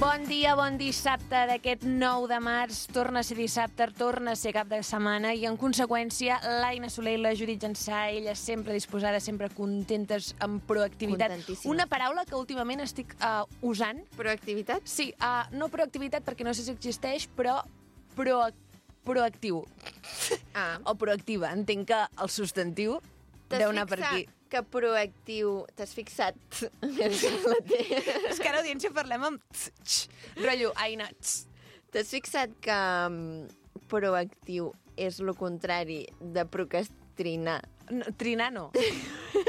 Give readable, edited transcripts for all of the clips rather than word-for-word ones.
Bon dia, bon dissabte d'aquest 9 de març. Torna a ser dissabte, torna a ser cap de setmana i, en conseqüència, l'Aina Soler i la Judit Jansà, elles sempre disposades, sempre contentes, amb proactivitat. Contentíssimes. Una paraula que últimament estic usant. Proactivitat? Sí, no proactivitat perquè no sé si existeix, però proactiu. O proactiva. Entenc que el substantiu deu anar per aquí. Que proactiu... T'has fixat? És que a l'audiència parlem amb rotllo, Aina. T'has fixat que proactiu és el contrari de procrastinar? No, trinar no.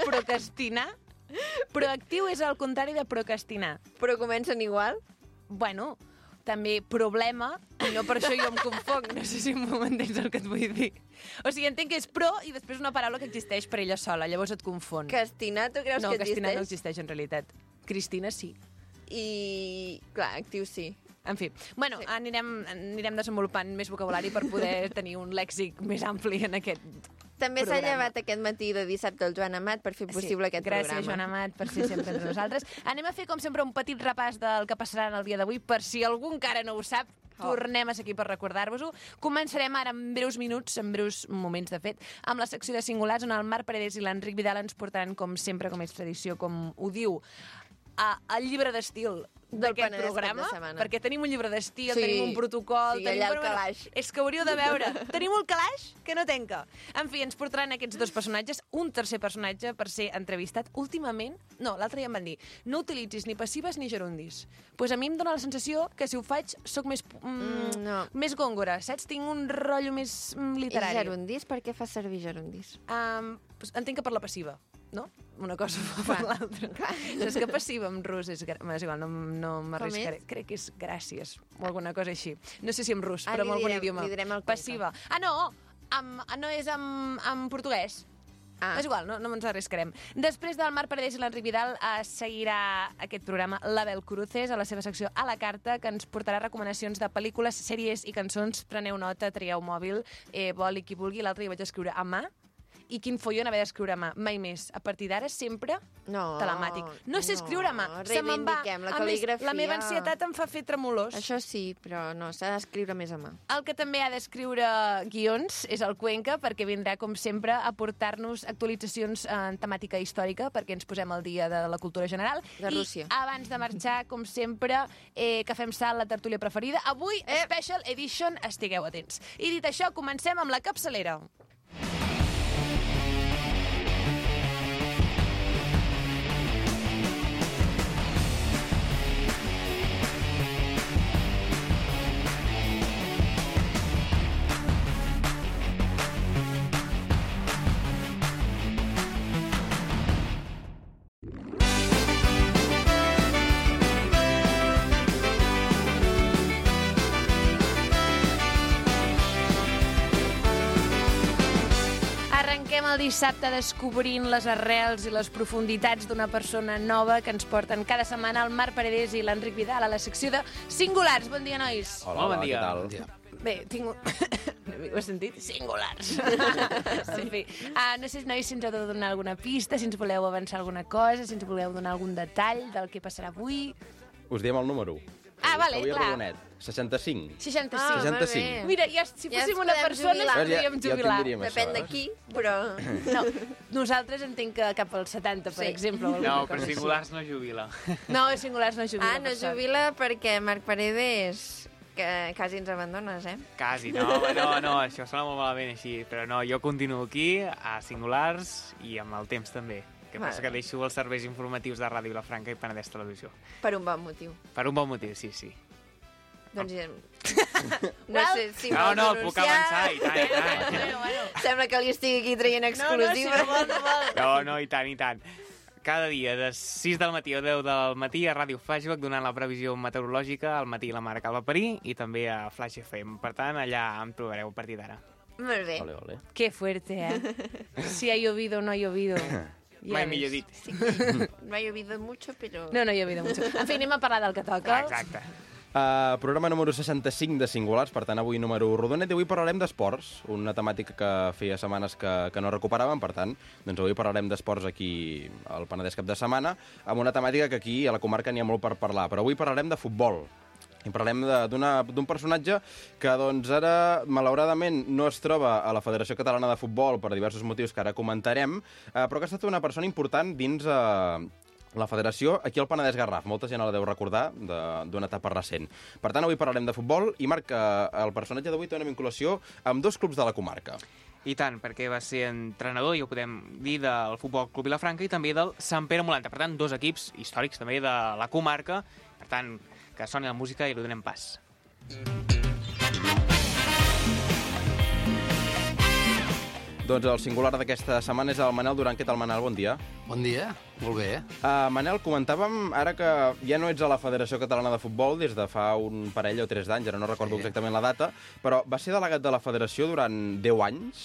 Procrastinar? Proactiu és el contrari de procrastinar. Però comencen igual? Bueno, també problema, i no per això jo em confonc. No sé si m'entens el que et vull dir. O sigui, entenc que és pro i després una paraula que existeix per ella sola, llavors et confon. Castinar, tu creus no, que existeix? No, Castinar no existeix en realitat. Cristina sí. I, clar, actiu sí. En fi, bueno, sí. anirem desenvolupant més vocabulari per poder tenir un lèxic més ampli en aquest També programa. s'ha llevat aquest matí de dissabte el Joan Amat per fer possible aquest programa. Gràcies, Joan Amat, per ser sempre entre nosaltres. Anem a fer, com sempre, un petit repàs del que passarà en el dia d'avui, per si algú encara no ho sap. Tornem a ser aquí per recordar-vos-ho. Començarem ara en breus minuts, en breus moments, de fet, amb la secció de Singulars, on el Marc Paredes i l'Enric Vidal ens portaran, com sempre, com és tradició, com ho diu, el llibre d'estil d'aquest programa, perquè tenim un llibre d'estil, sí, tenim un protocol... Sí, allà el calaix. És que hauríeu de veure. Tenim un calaix que no tenca. En fi, ens portaran aquests dos personatges, un tercer personatge per ser entrevistat. Últimament, no, l'altre ja em van dir, no utilitzis ni passives ni gerundis. Pues a mi em dóna la sensació que si ho faig soc més, més gòngora, saps? Tinc un rotllo més literari. I gerundis? Per què fas servir gerundis? Entenc que per la passiva, no? Una cosa per l'altra. Saps que passiva en rus és igual, no m'arriscaré. Crec que és gràcies o alguna cosa així. No sé si en rus, però en algun idioma. Li direm el passiva. No és en portuguès. És igual, no ens arriscarem. Després del Marc Paredes i l'Enric Vidal seguirà aquest programa l'Abel Cruces a la seva secció A la Carta, que ens portarà recomanacions de pel·lícules, sèries i cançons. Preneu nota, trieu mòbil, boli qui vulgui. L'altre hi vaig escriure a mà. I quin follon haver d'escriure a mà. Mai més. A partir d'ara, sempre telemàtic. No sé escriure a mà. Se me'n va. La cal·ligrafia. La meva ansietat em fa fer tremolors. Això sí, però no, s'ha d'escriure més a mà. El que també ha d'escriure guions és el Cuenca, perquè vindrà, com sempre, a portar-nos actualitzacions en temàtica històrica, perquè ens posem al dia de la cultura general. De Rússia. I abans de marxar, com sempre, que fem salt la tertúlia preferida. Avui, Special Edition, estigueu atents. I dit això, comencem amb la capçalera. El dissabte descobrint les arrels i les profunditats d'una persona nova que ens porten cada setmana el Marc Paredes i l'Enric Vidal a la secció de Singulars. Bon dia, nois. Hola, bon dia. Què tal? Bé, tinc un... Ho has sentit? Singulars. En fi, no sé, nois, si ens heu de donar alguna pista, si ens voleu avançar alguna cosa, si ens voleu donar algun detall del que passarà avui. Us diem el número. Vale, avui clar. Rodonet. 65. 65. 65. Mira, si fóssim una persona ens podríem jubilar. Depèn de qui, però... No, nosaltres entenc que cap als 70, per exemple. No, però Singulars no jubila. No, Singulars no jubila. No jubila perquè Marc Paredes... que quasi ens abandones, Quasi, no, això sona molt malament així, però no, jo continuo aquí, a Singulars, i amb el temps també. Que passa que deixo els serveis informatius de Ràdio Vilafranca i Penedès Televisió. Per un bon motiu. Per un bon motiu, sí. Doncs no sé si vol no, puc avançar, i tant. Bueno. Sembla que li estigui aquí traient exclusiva. No, i tant. Cada dia, de 6 del matí a 10 del matí, a Ràdio Flashback, donant la previsió meteorològica, al matí la Mare Calva Parí, i també a Flash FM. Per tant, allà em trobareu a partir d'ara. Molt bé. Ole. Qué fuerte, Si ha llovido o no ha llovido. Mai millor dit. Sí, no ha llovido mucho, però... No ha llovido mucho. En fi, anem a parlar del que toca. Exacte. Programa número 65 de Singulars, per tant, avui número rodonet, i avui parlarem d'esports, una temàtica que feia setmanes que no recuperàvem, per tant, doncs avui parlarem d'esports aquí al Penedès cap de setmana, amb una temàtica que aquí a la comarca n'hi ha molt per parlar, però avui parlarem de futbol. I parlem d'un personatge que doncs, ara, malauradament, no es troba a la Federació Catalana de Futbol per diversos motius que ara comentarem, però que ha estat una persona important dins la federació aquí al Penedès Garraf. Molta gent la deu recordar d'una etapa recent. Per tant, avui parlarem de futbol i, Marc, el personatge d'avui té una vinculació amb 2 clubs de la comarca. I tant, perquè va ser entrenador, ja ho podem dir, del Futbol Club Vilafranca i també del Sant Pere Molanta. Per tant, 2 equips històrics també de la comarca. Per tant, que soni la música i li donem pas. Doncs el singular d'aquesta setmana és el Manel Duran. Què tal, Manel? Bon dia. Bon dia, molt bé. Manel, comentàvem ara que ja no ets a la Federació Catalana de Futbol des de fa un parell o 3 d'anys, ara no recordo exactament la data, però va ser delegat de la Federació durant 10 anys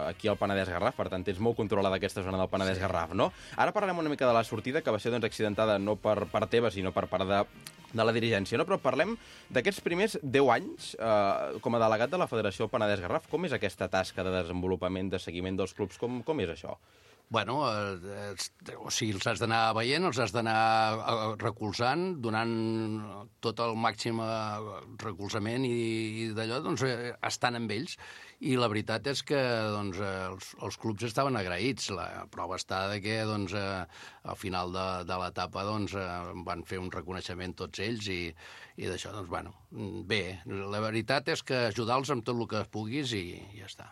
aquí al Penedès Garraf, per tant tens molt controlada aquesta zona del Penedès Garraf, no? Ara parlarem una mica de la sortida, que va ser doncs, accidentada no per part teva, sinó per part de la dirigència, no? Però parlem d'aquests primers 10 anys com a delegat de la Federació Penedès Garraf. Com és aquesta tasca de desenvolupament, de seguiment dels clubs? Com és això? Bueno, o sigui, els has d'anar veient, els has d'anar recolzant, donant tot el màxim recolzament i d'allò, doncs, estant amb ells. I la veritat és que doncs, els clubs estaven agraïts. La prova està de que doncs, al final de l'etapa doncs, van fer un reconeixement tots ells i d'això, doncs, bueno, bé. La veritat és que ajudar-los amb tot el que puguis i ja està.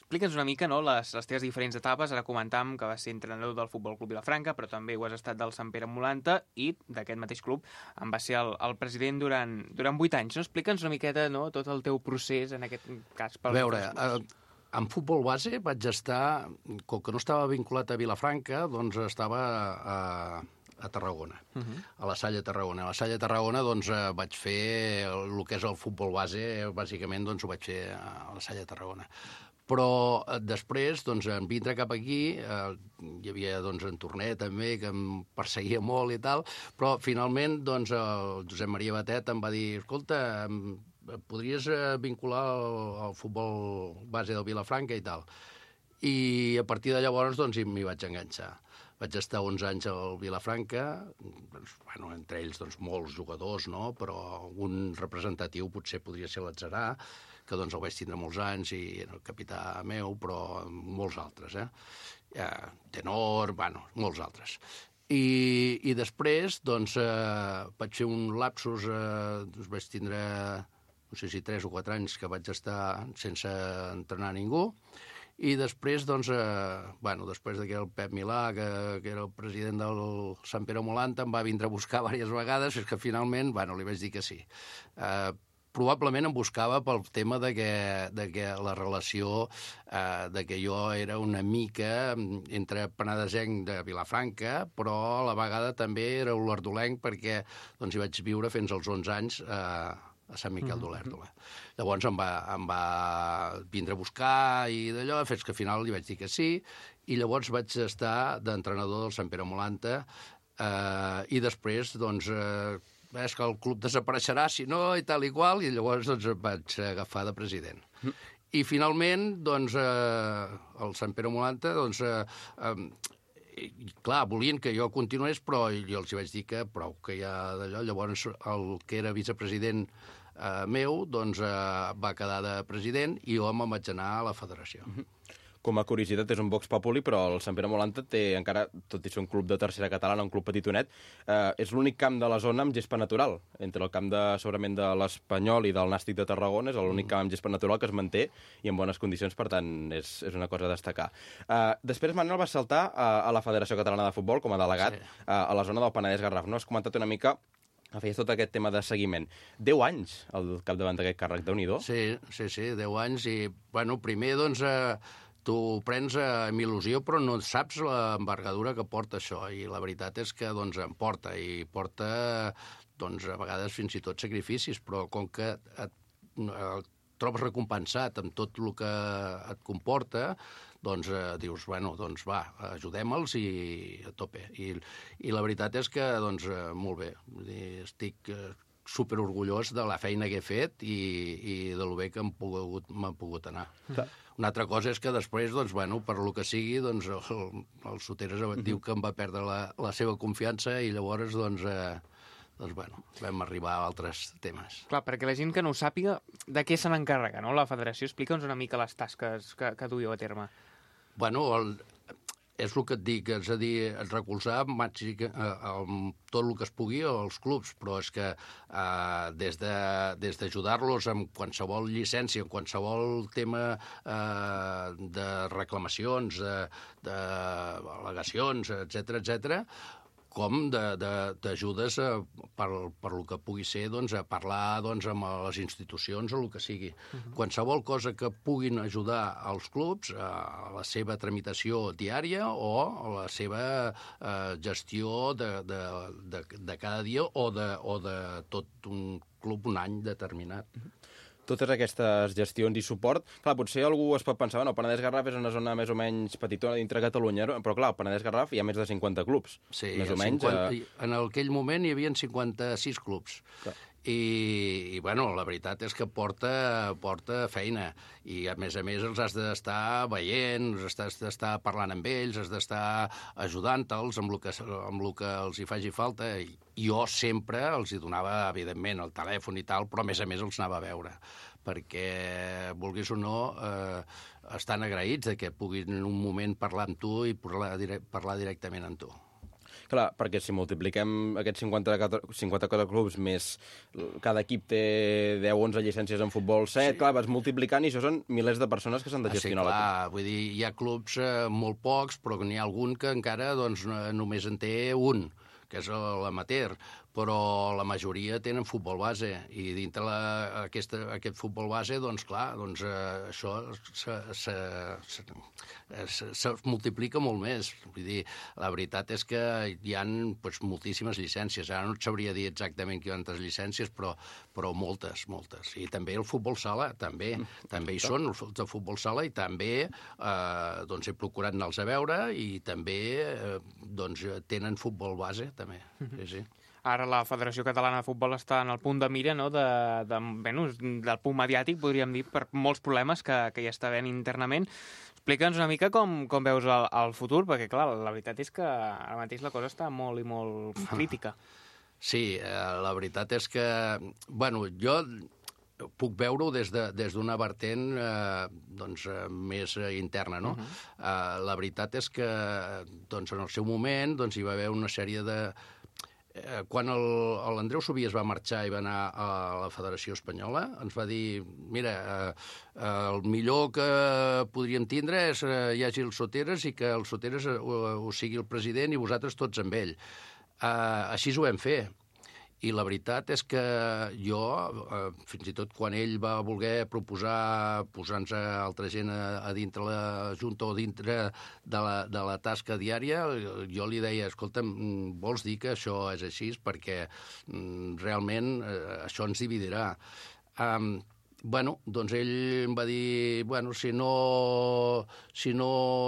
Explica'ns una mica, no?, les teves diferents etapes. Ara comentàvem que vas ser entrenador del Futbol Club Vilafranca, però també ho has estat del Sant Pere Molanta i d'aquest mateix club en va ser el president durant 8 anys. No? Explica'ns una miqueta, no?, tot el teu procés en aquest cas. A veure, en futbol base vaig estar, com que no estava vinculat a Vilafranca, doncs estava a Tarragona, a la Salle Tarragona. A la Salle Tarragona doncs, vaig fer el que és el futbol base, bàsicament doncs, ho vaig fer a la Salle Tarragona. Però després, doncs, en vindre cap aquí, hi havia doncs, en Torner també, que em perseguia molt i tal, però finalment doncs, el Josep Maria Batet em va dir: escolta, podries vincular al futbol base del Vilafranca i tal. I a partir de llavors doncs, m'hi vaig enganxar. Vaig estar 11 anys al Vilafranca, doncs, bueno, entre ells doncs, molts jugadors, no? Però un representatiu potser podria ser l'Atzarà, que doncs, el vaig tindre molts anys i era el capità meu, però molts altres, Tenor, bueno, molts altres. I després doncs, vaig fer un lapsus, doncs, vaig tindre, no sé si 3 o 4 anys que vaig estar sense entrenar ningú. I després, doncs, després que el Pep Milà, que era el president del Sant Pere Molanta, em va vindre a buscar diverses vegades, fins que finalment, li vaig dir que sí. Probablement em buscava pel tema de que la relació de que jo era una mica entre penedesenc de Vilafranca, però a la vegada també era olordolenc perquè doncs, hi vaig viure fins als 11 anys a Sant Miquel d'Olèrdola. Llavors em va vindre a buscar i d'allò, fins que al final li vaig dir que sí, i llavors vaig estar d'entrenador del Sant Pere Molanta i després, doncs, és que el club desapareixerà, si no, i tal i qual, i llavors doncs, em vaig agafar de president. I finalment, doncs, el Sant Pere Molanta, doncs, clar, volien que jo continués, però jo els vaig dir que prou, que ja d'allò. Llavors, el que era vicepresident meu, doncs, va quedar de president i jo me'n vaig anar a la federació. Com a curiositat, és un Vox Populi, però el Sant Pere Molanta té encara, tot i ser un club de tercera catalana, un club petitonet, és l'únic camp de la zona amb gespa natural. Entre el camp segurament de l'Espanyol i del Nàstic de Tarragona és l'únic camp amb gespa natural que es manté i en bones condicions, per tant, és una cosa a destacar. Després, Manel va saltar a la Federació Catalana de Futbol com a delegat a la zona del Penedès Garraf. No? Has comentat una mica feies tot aquest tema de seguiment. 10 anys al capdavant d'aquest càrrec, Déu-n'hi-do. Sí, 10 anys i, primer, doncs, tu ho prens amb il·lusió, però no saps l'envergadura que porta això. I la veritat és que doncs, em porta, i porta doncs, a vegades fins i tot sacrificis, però com que et trobes recompensat amb tot el que et comporta, doncs dius, doncs va, ajudem-los i a tope. I la veritat és que, doncs, molt bé. Estic superorgullós de la feina que he fet i de lo bé que m'ha pogut anar. Una altra cosa és que després, doncs, per lo que sigui, doncs, el Soteres diu que em va perdre la seva confiança i llavors, doncs, doncs bueno, vam arribar a altres temes. Clar, perquè la gent que no ho sàpiga, de què se n'encarrega, no? La federació, explica'ns una mica les tasques que duiu a terme. Bueno, és el que et dic, és a dir, recolzar tot el que es pugui als clubs, però és que des d'ajudar-los amb qualsevol llicència, en qualsevol tema de reclamacions, d'al·legacions, etc., com d'ajudes per lo que pugui ser a parlar amb les institucions o el que sigui. Qualsevol cosa que puguin ajudar als clubs a la seva tramitació diària o a la seva gestió de cada dia o de tot un club un any determinat. Totes aquestes gestions i suport... Clar, potser algú es pot pensar, bueno, Penedès Garraf és una zona més o menys petitona dintre Catalunya, però clar, al Penedès Garraf hi ha més de 50 clubs. Sí, més o menys. En aquell moment hi havia 56 clubs. Clar. I bueno, la veritat és que porta feina i a més els has d'estar veient, has d'estar parlant amb ells, has d'estar ajudant-los amb el que els hi faci falta. I jo sempre els hi donava, evidentment, el telèfon i tal, però a més els anava a veure, perquè, vulguis o no, estan agraïts de que puguin en un moment parlar amb tu i parlar directament amb tu. Clar, perquè si multipliquem aquests 54 clubs més cada equip té 10-11 llicències en futbol, 7, sí. Clar, vas multiplicant i això són milers de persones que s'han de gestionar. Sí, clar, vull dir, hi ha clubs molt pocs, però n'hi ha algun que encara només en té un, que és l'amateur, però la majoria tenen futbol base, i dintre aquest futbol base, doncs clar, això se multiplica molt més. Vull dir, la veritat és que hi ha moltíssimes llicències. Ara no et sabria dir exactament quantes llicències, però moltes. I també el futbol sala, també hi són els de futbol sala, i també he procurat anar-los a veure, i també tenen futbol base, també. Sí. Ara la Federació Catalana de Futbol està en el punt de mira, no?, del punt mediàtic, podríem dir, per molts problemes que hi està havent internament. Explica'ns una mica com veus el futur, perquè, clar, la veritat és que ara mateix la cosa està molt i molt crítica. Sí, la veritat és que, bueno, jo puc veure-ho des d'una vertent més interna, no? La veritat és que en el seu moment hi va haver una sèrie de... Quan l'Andreu Subí es va marxar i va anar a la Federació Espanyola, ens va dir, mira, el millor que podríem tindre és hi hagi el Soteres i que el Soteres ho sigui el president i vosaltres tots amb ell. Així ho vam fer. I la veritat és que jo, fins i tot quan ell va voler proposar posar-nos altra gent a dintre la Junta o dintre de la tasca diària, jo li deia, escolta, vols dir que això és així? Perquè realment això ens dividirà. Bueno, doncs ell em va dir, bueno, si no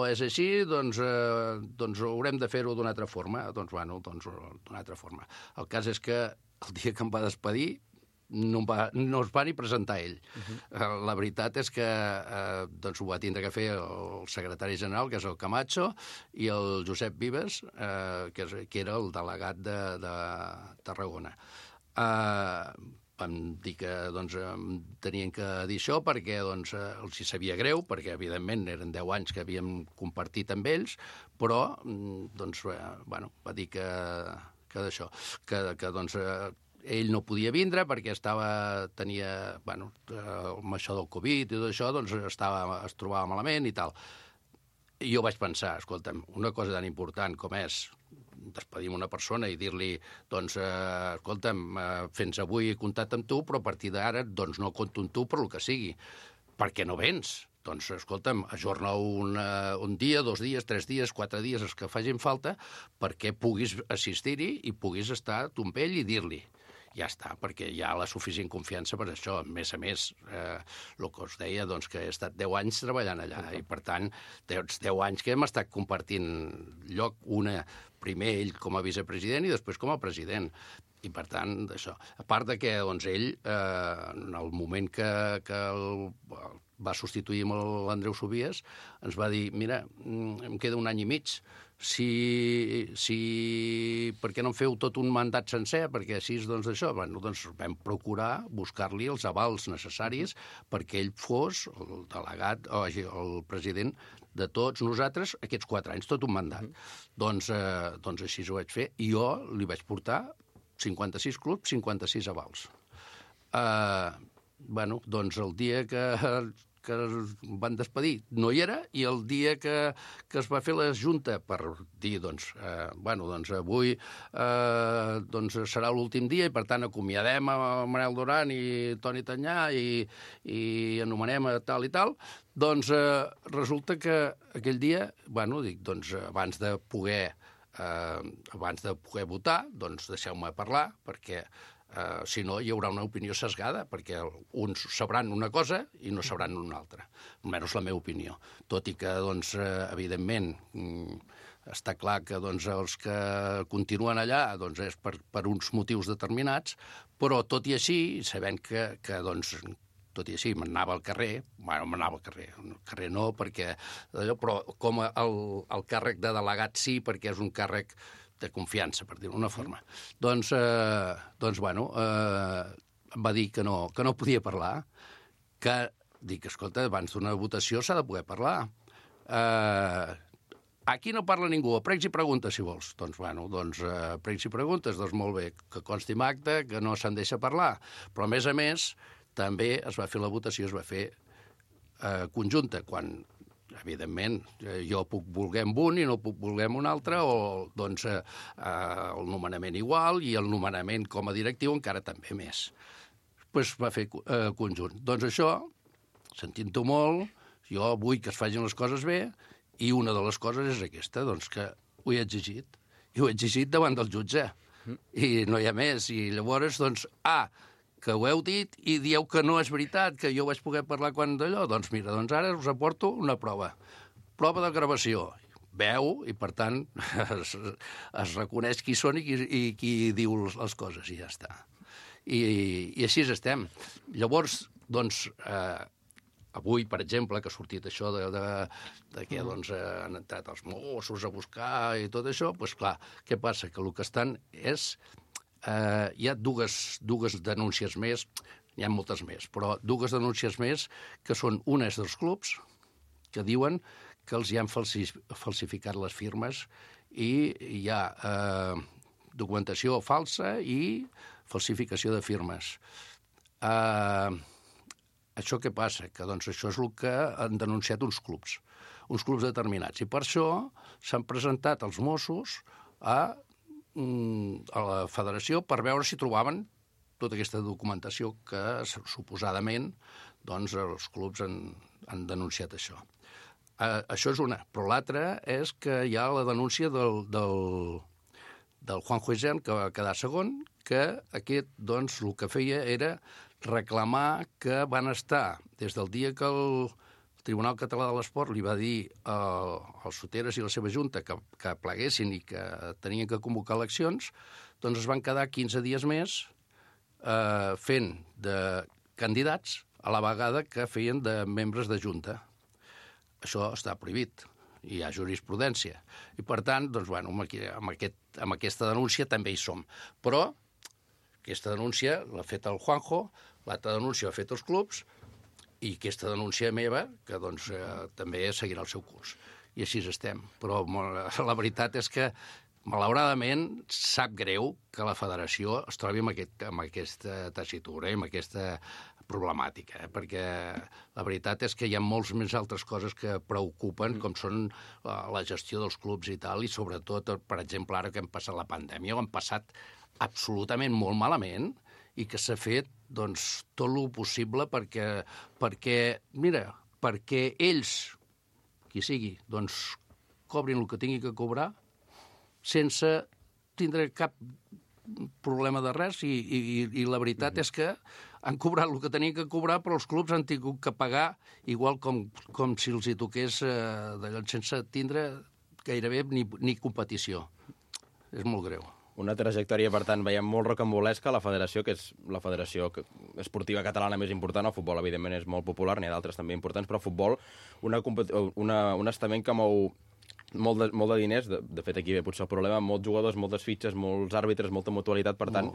és així, doncs haurem de fer-ho d'una altra forma. Doncs d'una altra forma. El cas és que el dia que em va despedir no es va ni presentar ell. La veritat és que ho va tindre que fer el secretari general, que és el Camacho, i el Josep Vives, que era el delegat de Tarragona. Vam dir que tenien que dir això perquè els hi sabia greu, perquè evidentment eren 10 anys que havíem compartit amb ells, però va dir que d'això, que ell no podia vindre perquè tenia, amb això del Covid i tot això, es trobava malament i tal. I jo vaig pensar, escolta'm, una cosa tan important com és despedir una persona i dir-li, escolta'm, fins avui he comptat amb tu, però a partir d'ara no compto amb tu per el que sigui. Per què no vens? Doncs, escolta'm, ajorna un dia, 2 dies, 3 dies, 4 dies, els que facin falta, perquè puguis assistir-hi i puguis estar tu amb ell i dir-li. Ja està, perquè hi ha la suficient confiança per això. A més, el que us deia, que he estat 10 anys treballant allà, i per tant, 10 anys que hem estat compartint lloc, primer ell com a vicepresident i després com a president. I per tant, això. A part de que ell, en el moment que va substituir amb l'Andreu Subies, ens va dir, mira, em queda 1 any i mig, per què no en feu tot un mandat sencer? Perquè així, doncs, això, bueno, doncs vam procurar buscar-li els avals necessaris perquè ell fos el delegat, o el president de tots nosaltres aquests 4 anys, tot un mandat. Doncs així ho vaig fer. I jo li vaig portar 56 clubs, 56 avals. Bueno, doncs el dia que es van despedir no hi era, i el dia que es va fer la junta per dir, doncs, avui serà l'últim dia i, per tant, acomiadem a Manel Duran i Toni Tanyà i anomenem a tal i tal, doncs resulta que aquell dia, abans de poder votar, doncs deixeu-me parlar, perquè si no, hi haurà una opinió sesgada, perquè uns sabran una cosa i no sabran una altra, almenys la meva opinió. Tot i que, doncs, evidentment, està clar que els que continuen allà és per uns motius determinats, però tot i així, sabent que tot i així, m'anava al carrer, al carrer no, perquè però com el càrrec de delegat sí, perquè és un càrrec de confiança, per dir-ho d'una forma. Doncs va dir que no podia parlar, que dic, escolta, abans d'una votació s'ha de poder parlar. Aquí no parla ningú, pregs i preguntes, si vols. Doncs pregs i preguntes, doncs molt bé, que consti en acte, que no se'n deixa parlar. Però, a més, també es va fer la votació, es va fer conjunta, quan evidentment, jo puc voler amb un i no puc voler amb un altre, o el nomenament igual i el nomenament com a directiu encara també més. Doncs va fer conjunt. Doncs això, sentint-ho molt, jo vull que es facin les coses bé, i una de les coses és aquesta, doncs que ho he exigit. I ho he exigit davant del jutge. I no hi ha més. I llavors, que ho heu dit i dieu que no és veritat, que jo vaig poder parlar quan d'allò, doncs mira, ara us aporto una prova. Prova de gravació. Veu, i per tant es reconeix qui són i qui diu les coses, i ja està. I així estem. Llavors, doncs, avui, per exemple, que ha sortit això de que han entrat els Mossos a buscar i tot això, doncs clar, què passa? Que el que estan és... hi ha dues denúncies més, hi ha moltes més, però dues denúncies més, que són unes dels clubs, que diuen que els hi han falsificat les firmes i hi ha documentació falsa i falsificació de firmes. Això què passa? Que això és el que han denunciat uns clubs determinats, i per això s'han presentat els Mossos a la federació per veure si trobaven tota aquesta documentació que suposadament els clubs han denunciat això. Això és una. Però l'altra és que hi ha la denúncia del Juanjo Isern, que va quedar segon, que aquest el que feia era reclamar que van estar des del dia que el Tribunal Català de l'Esport li va dir als Soteres i la seva junta que pleguessin i que tenien que convocar eleccions, doncs es van quedar 15 dies més fent de candidats a la vegada que feien de membres de junta. Això està prohibit, hi ha jurisprudència. I per tant, amb aquesta denúncia també hi som. Però aquesta denúncia l'ha fet el Juanjo, l'altra denúncia l'ha fet els clubs, i aquesta denúncia meva, que també seguirà el seu curs. I així estem. Però la veritat és que, malauradament, sap greu que la federació es trobi amb aquesta tessitura i amb aquesta problemàtica, perquè la veritat és que hi ha molts més altres coses que preocupen, com són la gestió dels clubs i tal, i sobretot, per exemple, ara que hem passat la pandèmia, ho hem passat absolutament molt malament, i que s'ha fet tot el possible perquè ells, qui sigui, cobrin el que tingui que cobrar sense tindre cap problema de res, i la veritat és que han cobrat el que tenien que cobrar, però els clubs han tingut que pagar igual com si els hi toqués d'allò, sense tindre gairebé ni competició. És molt greu. Una trajectòria, per tant, veiem molt rocambolesca a la federació, que és la federació esportiva catalana més important. El futbol, evidentment, és molt popular, n'hi ha d'altres també importants, però el futbol, un estament que mou molt de diners, de fet aquí ve potser el problema, molts jugadors, moltes fitxes, molts àrbitres, molta mutualitat, per tant,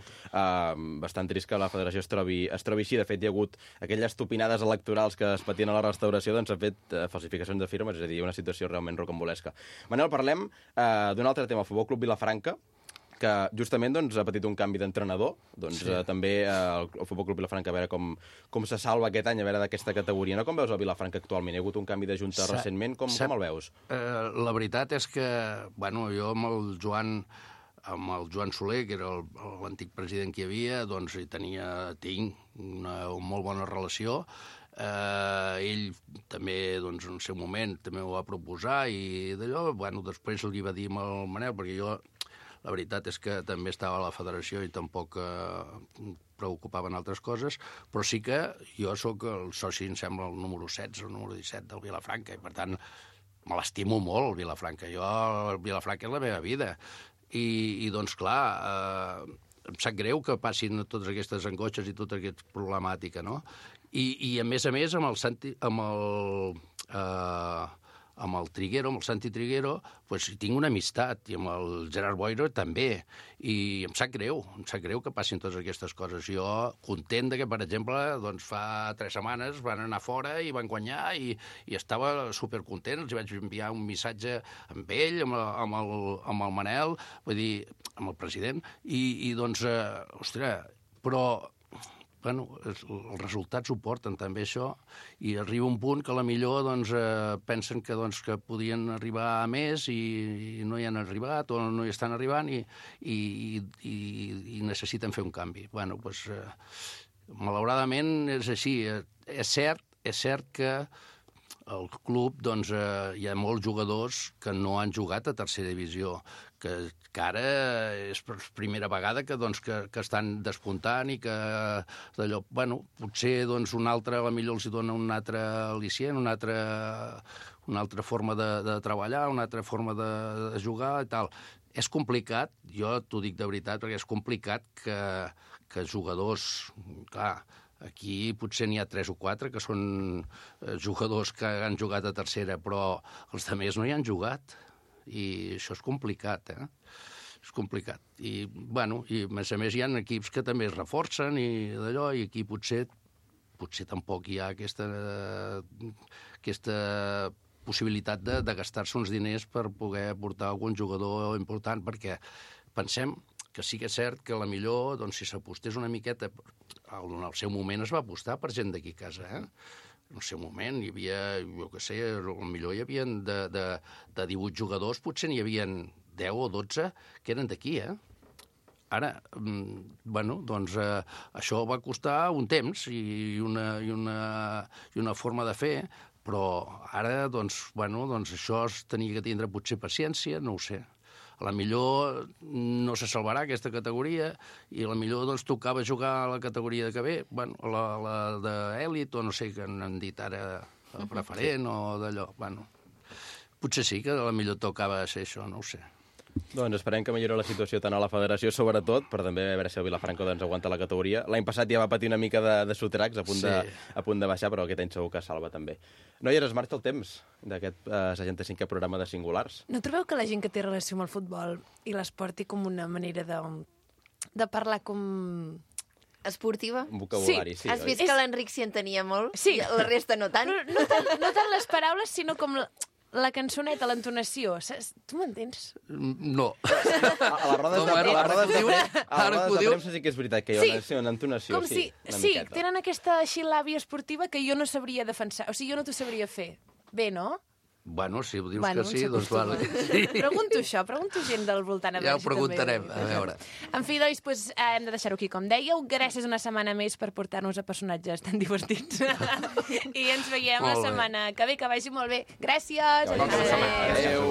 bastant trist que la federació es trobi així. De fet, hi ha hagut aquelles topinades electorals que es patien a la restauració, doncs s'ha fet falsificacions de firmes, és a dir, una situació realment rocambolesca. Manel, parlem d'un altre tema, el Futbol Club Vilafranca, que justament doncs, ha patit un canvi d'entrenador. Doncs, també el Futbol Club Vilafranca, a veure com se salva aquest any, a veure d'aquesta categoria. No? Com veus el Vilafranca actualment? Hi ha hagut un canvi de junta recentment. Com el veus? La veritat és que, bueno, jo amb el Joan Soler, que era l'antic president que hi havia, doncs tinc una molt bona relació. Ell també, doncs, en el seu moment, també ho va proposar i d'allò, bueno, després li va dir al Manel, perquè jo, la veritat és que també estava a la federació i tampoc preocupaven altres coses, però sí que jo sóc el soci, em sembla, el número 16, el número 17 del Vilafranca, i per tant me l'estimo molt, el Vilafranca. El Vilafranca és la meva vida. I doncs, clar, em sap greu que passin totes aquestes angoixes i tota aquesta problemàtica, no? I a més, amb el Triguero, amb el Santi Triguero, doncs tinc una amistat, i amb el Gerard Boiro també, i em sap greu que passin totes aquestes coses. Jo content que, per exemple, doncs fa 3 setmanes van anar fora i van guanyar i estava supercontent, els vaig enviar un missatge amb ell, amb el Manel, vull dir, amb el president, i doncs, ostres, però bueno, els resultats ho porten també això, i arriba un punt que a la millor doncs, pensen que podien arribar a més i no hi han arribat o no hi estan arribant i necessiten fer un canvi. Bueno, doncs, malauradament és així. És cert que al club doncs, hi ha molts jugadors que no han jugat a tercera divisió, que ara és per primera vegada que estan despuntant i que d'allò, bueno, potser doncs, un altre, a la millor els dona un altre al·licient, una altra forma de treballar, una altra forma de jugar i tal. És complicat, jo t'ho dic de veritat, perquè és complicat que jugadors, clar, aquí potser n'hi ha 3 o 4 que són jugadors que han jugat a tercera, però els altres no hi han jugat. I això és complicat, És complicat. I, bueno, i a més hi ha equips que també es reforcen i d'allò, i aquí potser tampoc hi ha aquesta possibilitat de gastar-se uns diners per poder portar algun jugador important, perquè pensem que sí que és cert que millor, doncs, si s'apostés una miqueta, en el seu moment es va apostar per gent d'aquí a casa, En el seu moment hi havia, jo què sé, potser hi havia de 18 jugadors, potser n'hi havia 10 o 12 que eren d'aquí, Ara, bueno, doncs això va costar un temps i una forma de fer, però ara, doncs, bueno, doncs això es tenia que tindre potser paciència, no ho sé. A la millor no se salvarà aquesta categoria i a la millor doncs, tocava jugar a la categoria que ve, bueno, la d'èlit o no sé què han dit ara, preferent o d'allò. Bueno, potser sí que a la millor tocava ser això, no ho sé. Doncs esperem que millori la situació tant a la federació, sobretot, però també a veure si el Vilafranca doncs, aguanta la categoria. L'any passat ja va patir una mica de sotracs a punt de baixar, però aquest any segur que salva també. Noies, es marxa el temps d'aquest 65è programa de Singulars. No trobeu que la gent que té relació amb el futbol i l'esport té com una manera de parlar com... esportiva? Un vocabulari, sí. Has vist que l'Enric s'hi entenia molt? Sí. I la resta no tant? No tant les paraules, sinó com la cançoneta, l'entonació. Tu m'entens? No. A la roda de premsa sí que és veritat que hi ha una entonació, una miqueta. Tenen aquesta xilàbia esportiva que jo no sabria defensar. O sigui, jo no t'ho sabria fer. Bé, no? Bueno, si ho dius que sí, doncs vale. Pregunto gent del voltant. Ja ho preguntarem, a veure. En fi, doncs, hem de deixar-ho aquí, com dèieu. Gràcies una setmana més per portar-nos a personatges tan divertits. I ens veiem la setmana que ve, que vagi molt bé. Gràcies! Adéu!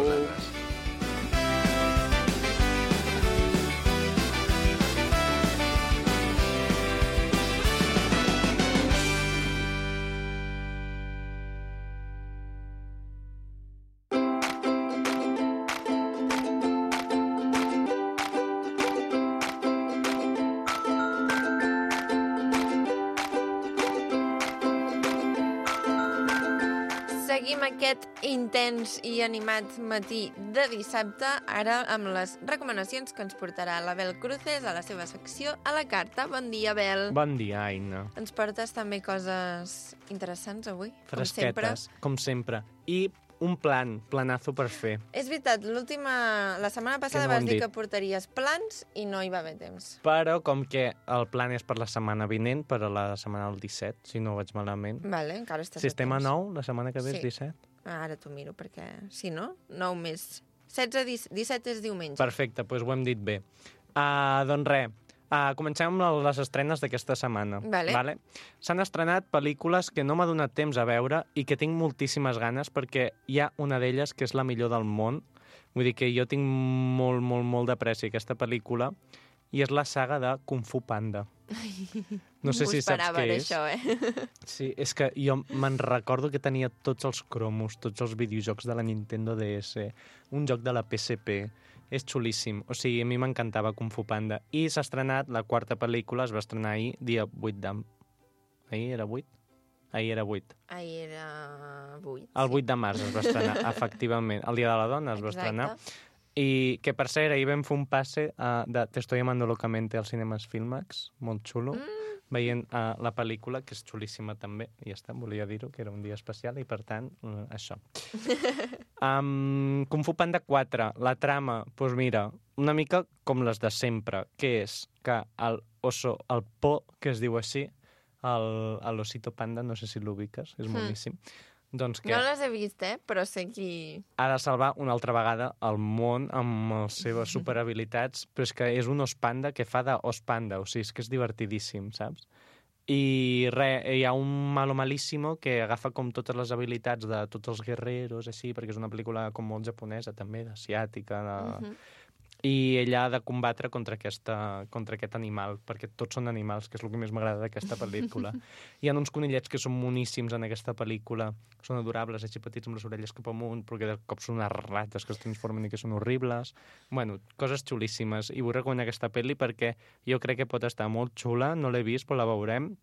seguim aquest intens i animat matí de dissabte, ara amb les recomanacions que ens portarà l'Abel Cruces a la seva secció a la carta. Bon dia, Abel. Bon dia, Aina. Ens portes també coses interessants avui, Fresquetes, com sempre. I un planazo per fer. És veritat, la setmana passada no ho vas hem dir dit. que portaries plans i no hi va haver temps. Però com que el plan és per la setmana vinent, per a la setmana del 17, si no ho vaig malament. Vale, encara estàs Sistema a temps. 9, la setmana que ve és Sí. 17. Ara t'ho miro, perquè si no, 9 més. 16, 17 és diumenge. Perfecte, doncs ho hem dit bé. Doncs res, comencem amb les estrenes d'aquesta setmana. Vale. S'han estrenat pel·lícules que no m'ha donat temps a veure i que tinc moltíssimes ganes perquè hi ha una d'elles que és la millor del món. Vull dir que jo tinc molt de pressa aquesta pel·lícula i és la saga de Kung Fu Panda. No sé si saps què és. Això, Sí, és que jo me'n recordo que tenia tots els cromos, tots els videojocs de la Nintendo DS, un joc de la PSP. És xulíssim. O sigui, a mi m'encantava Kung Fu Panda. I s'ha estrenat la quarta pel·lícula, es va estrenar ahir, dia 8 de... Ahir era 8? Ahir era 8. Ahir era 8. El 8 de març es va estrenar, efectivament. El Dia de la Dona es va estrenar. I que, per cert, ahir vam fer un passe de Te estoy amando locamente als cinemes Filmax, molt xulo, veient la pel·lícula, que és xulíssima també, i ja està, volia dir-ho, que era un dia especial, i per tant, això. Kung Fu Panda 4, la trama, doncs mira, una mica com les de sempre, que és que el Po, que es diu així, l'Osito Panda, no sé si l'ubiques, és boníssim, doncs que No les he vist, però sé qui... ha de salvar una altra vegada el món amb les seves superhabilitats, però és que és un os panda que fa d'os panda, o sigui, és que és divertidíssim, saps? I res, hi ha un malo malíssimo que agafa com totes les habilitats de tots els guerreros, així, perquè és una pel·lícula com molt japonesa, també, asiàtica, i ella ha de combatre contra aquest animal, perquè tots són animals, que és el que més m'agrada d'aquesta pel·lícula. Hi ha uns conillets que són moníssims en aquesta pel·lícula, són adorables, així petits amb les orelles cap amunt, perquè de cop són unes rates que es transformen i que són horribles. Bueno, coses xulíssimes, i vull recomanar aquesta pel·li perquè jo crec que pot estar molt xula, no l'he vist, però la veurem.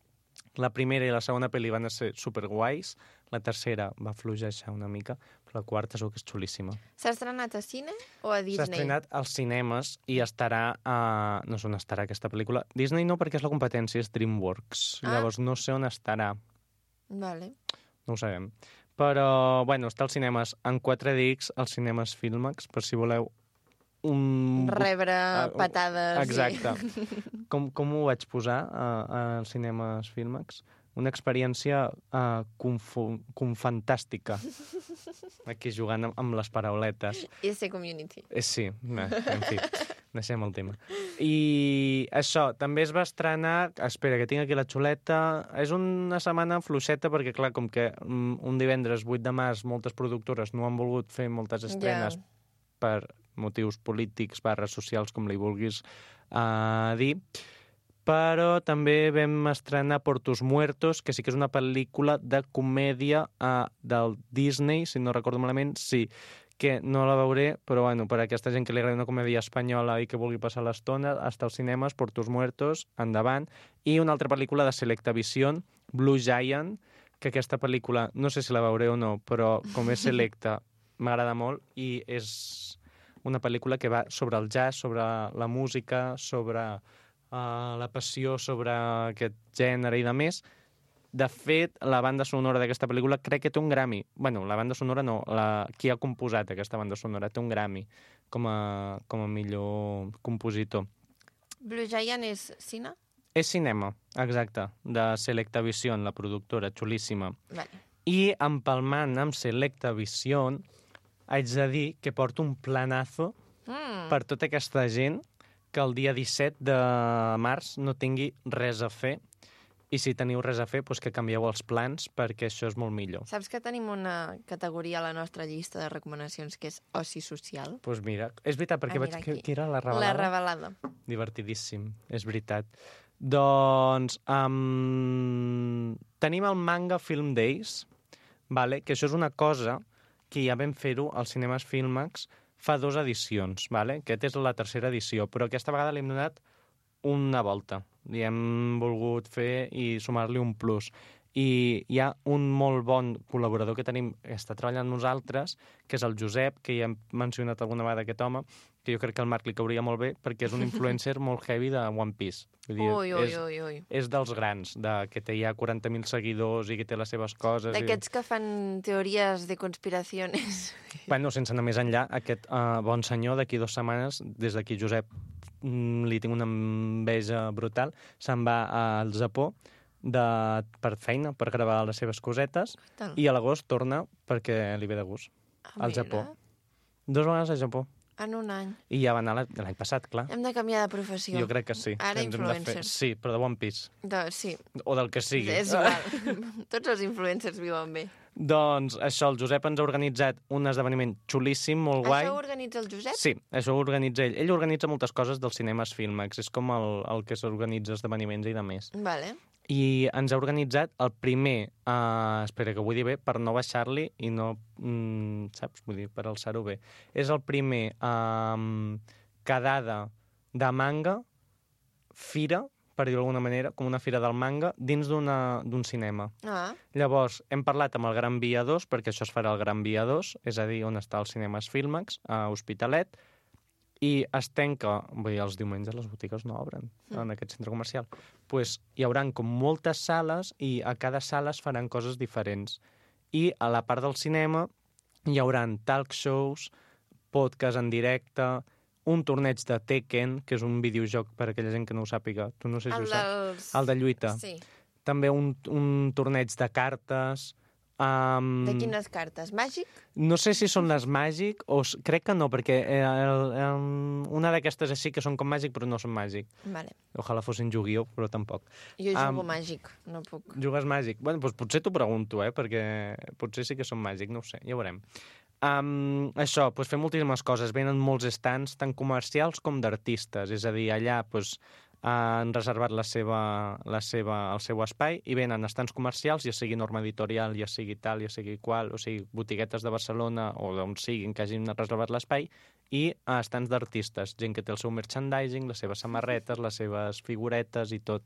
La primera i la segona pel·li van ser superguais, la tercera va fluixejar una mica, però la quarta segur que és xulíssima. S'ha estrenat a cine o a Disney? S'ha estrenat als cinemes i estarà no sé on estarà aquesta pel·lícula. Disney no, perquè és la competència, és DreamWorks. Llavors no sé on estarà. Vale. No ho sabem. Però, bueno, està als cinemes en 4DX, als cinemes Filmax, per si voleu rebre patades. Exacte. Com ho vaig posar als cinemes Filmax? Una experiència fantàstica. Aquí jugant amb les parauletes. I ser community. Sí, en fi, deixem el tema. I això, també es va estrenar... Espera, que tinc aquí la xuleta. És una setmana fluixeta perquè, clar, com que un divendres 8 de març moltes productores no han volgut fer moltes estrenes per motius polítics / socials, com li vulguis dir. Però també vam estrenar Portos Muertos, que sí que és una pel·lícula de comèdia del Disney, si no recordo malament, sí, que no la veuré, però bueno, per a aquesta gent que li agrada una comèdia espanyola i que vulgui passar l'estona, hasta els cinemes, Portos Muertos, endavant. I una altra pel·lícula de Selectavision, Blue Giant, que aquesta pel·lícula, no sé si la veuré o no, però com és selecta, m'agrada molt, i és una pel·lícula que va sobre el jazz, sobre la música, sobre la passió, sobre aquest gènere i de més. De fet, la banda sonora d'aquesta pel·lícula crec que té un Grammy. Bueno, la banda sonora no, qui ha composat aquesta banda sonora té un Grammy com a millor compositor. Blue Giant és cine? És cinema, exacte, de Selectavision, la productora, xulíssima. Vale. I empalmant amb Selectavision, haig de dir que porto un planazo per tota aquesta gent que el dia 17 de març no tingui res a fer, i si teniu res a fer, doncs que canvieu els plans, perquè això és molt millor. Saps que tenim una categoria a la nostra llista de recomanacions que és oci social? Doncs mira, és veritat, perquè vaig... Què era, la revelada? La revelada. Divertidíssim, és veritat. Doncs tenim el Manga Film Days, vale? Que això és una cosa que ja vam fer-ho als cinemes Filmax fa 2 edicions, vale? Aquesta és la tercera edició, però aquesta vegada li hem donat una volta. Li hem volgut fer i sumar-li un plus. I hi ha un molt bon col·laborador que tenim, que està treballant amb nosaltres, que és el Josep, que ja hem mencionat alguna vegada aquest home, que jo crec que al Marc li cauria molt bé, perquè és un influencer molt heavy de One Piece. Vull dir, Ui. és dels grans, que té ja 40.000 seguidors i que té les seves coses. D'aquests que fan teories de conspiracions. Bueno, sense anar més enllà, aquest bon senyor d'aquí 2 setmanes, des d'aquí Josep, li tinc una enveja brutal, se'n va al Japó per feina, per gravar les seves cosetes, i a l'agost torna perquè li ve de gust al Japó. 2 vegades al Japó. En un any. I ja va anar l'any passat, clar. Hem de canviar de professió. Jo crec que sí. Ara ens hem de fer. influencers. Sí, però de One Piece. Sí. O del que sigui. És igual. Tots els influencers viuen bé. Doncs això, el Josep ens ha organitzat un esdeveniment xulíssim, molt guai. Això ho organitza el Josep? Sí, això ho organitza ell. Ell organitza moltes coses dels cinemes Filmex. És com el que s'organitza esdeveniments i de més. Vale. I ens ha organitzat el primer, espera que ho vull dir bé, per no baixar-li i no, saps? Vull dir, per alçar-ho bé. És el primer quedada de manga, fira, per dir-ho d'alguna manera, com una fira del manga, dins d'un cinema. Llavors, hem parlat amb el Gran Via 2, perquè això es farà al Gran Via 2, és a dir, on està el Cinemes Filmex, a Hospitalet, i es tanca, vull dir, els diumenges les botigues no obren en aquest centre comercial. Pues hi haurà com moltes sales i a cada sala es faran coses diferents. I a la part del cinema hi haurà talk shows, podcast en directe, un torneig de Tekken, que és un videojoc per a aquella gent que no ho sàpiga. Tu no sé si ho saps. El de lluita. Sí. També un torneig de cartes. De quines cartes? Màgic? No sé si són les Màgic o... Crec que no, perquè una d'aquestes així que són com Màgic però no són Màgic. Vale. Ojalà fossin Yu-Gi-Oh, però tampoc. Jo jugo Màgic, no puc. Jugues Màgic? Bueno, doncs potser t'ho pregunto, perquè potser sí que són Màgic, no ho sé, ja ho veurem. Això, doncs fem moltíssimes coses. Venen molts stands, tant comercials com d'artistes. És a dir, allà han reservat el seu espai i venen estants comercials, ja sigui Norma Editorial, ja sigui tal, ja sigui qual, o sigui, botiguetes de Barcelona o d'on siguin que hagin reservat l'espai, i estants d'artistes, gent que té el seu merchandising, les seves samarretes, les seves figuretes i tot.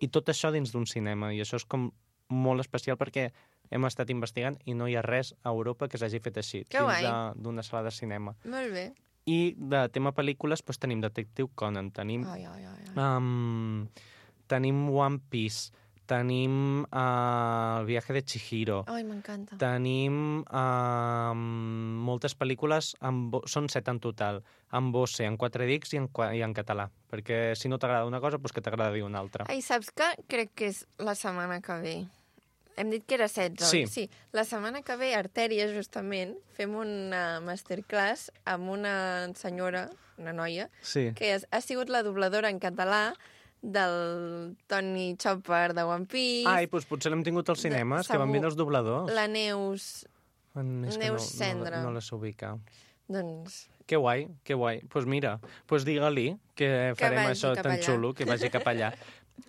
I tot això dins d'un cinema, i això és com molt especial perquè hem estat investigant i no hi ha res a Europa que s'hagi fet així, dins d'una sala de cinema. Molt bé. I de tema pel·lícules doncs, tenim Detective Conan, tenim One Piece, tenim El viaje de Chihiro. Ai, m'encanta. Tenim moltes pel·lícules, són 7 en total, en Bosse, en 4DX i en català, perquè si no t'agrada una cosa, doncs que t'agradi una altra. Ai, saps què? Crec que és la setmana que ve. Hem dit que era 16, sí. La setmana que ve, Artèria, justament, fem una masterclass amb una senyora, una noia, que ha sigut la dobladora en català del Tony Chopper de One Piece. Ai, doncs potser l'hem tingut als cinemes, que van vindre els dobladors. La Neus Cendra. No la sé ubicar. Doncs... Que guai, que guai. Doncs mira, digue-li que farem això tan xulo, que vagi cap allà.